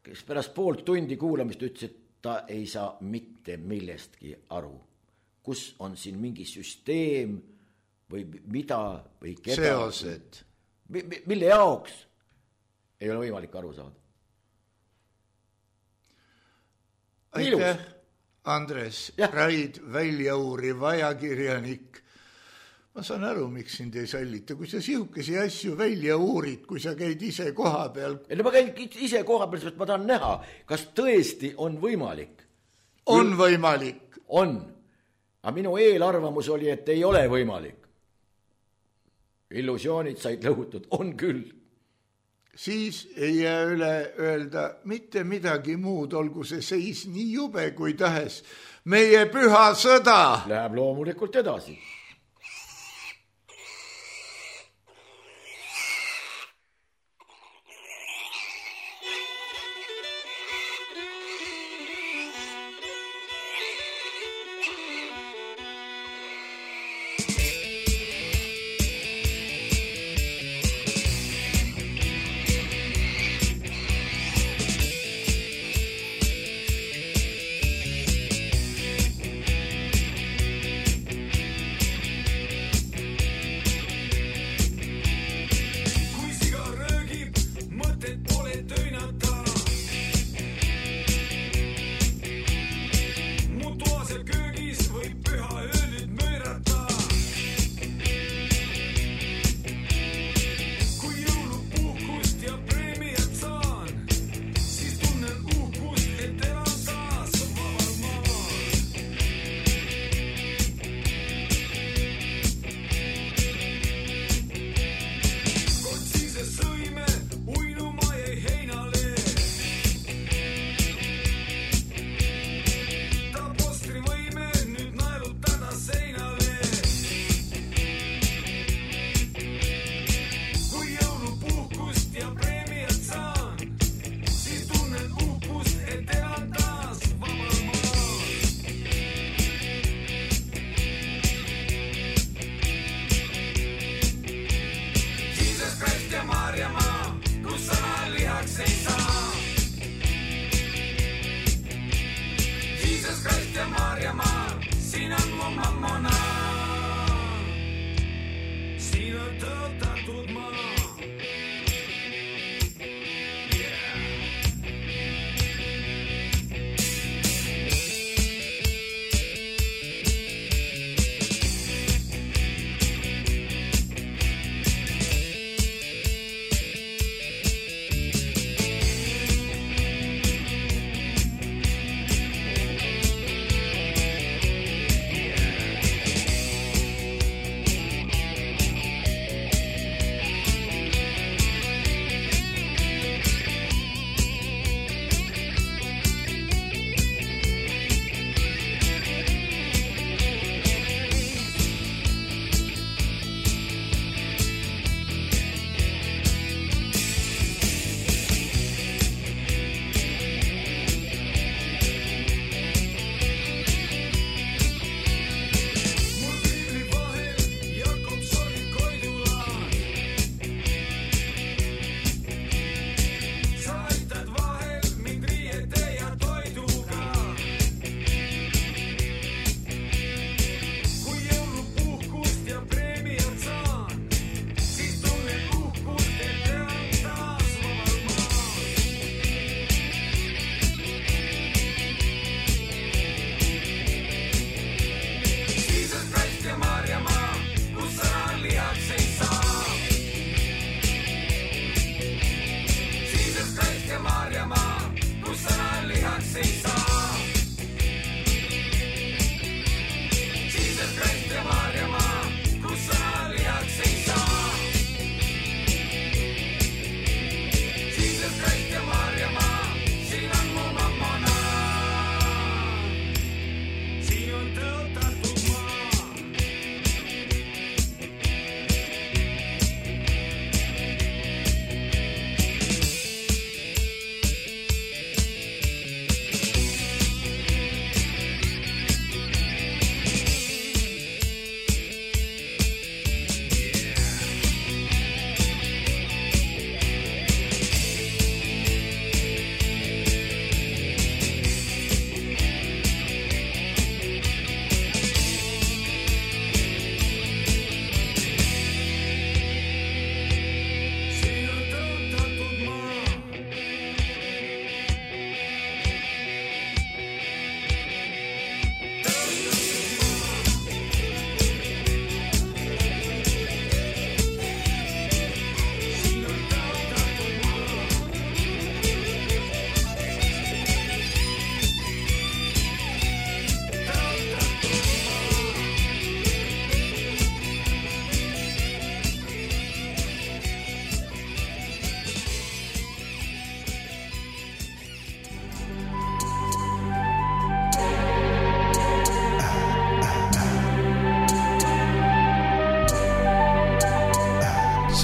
kes pärast poolt tundi kuulamist ütles, et ta ei saa mitte millestki aru. Kus on siin mingi süsteem või mida või keda? Seosed. Mille jaoks ei ole võimalik aru saada? Aitäh, Andres, Raid, väljauuriv ajakirjanik. Ma saan aru, miks sind ei sallita, kui sa sihukesi asju välja uurid, kui sa käid ise koha peal. Ja ma käin ise koha peal, sest ma tahan näha, kas tõesti on võimalik. On võimalik. On. Aga minu eelarvamus oli, et ei ole võimalik. Illusioonid said lõhutud, on küll. Siis ei jää üle öelda mitte midagi muud, olgu see seis nii jube kui tahes. Meie püha sõda läheb loomulikult edasi.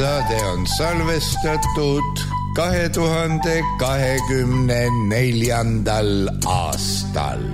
saade on salvestatud kahe tuhande kahekümne neljandal aastal.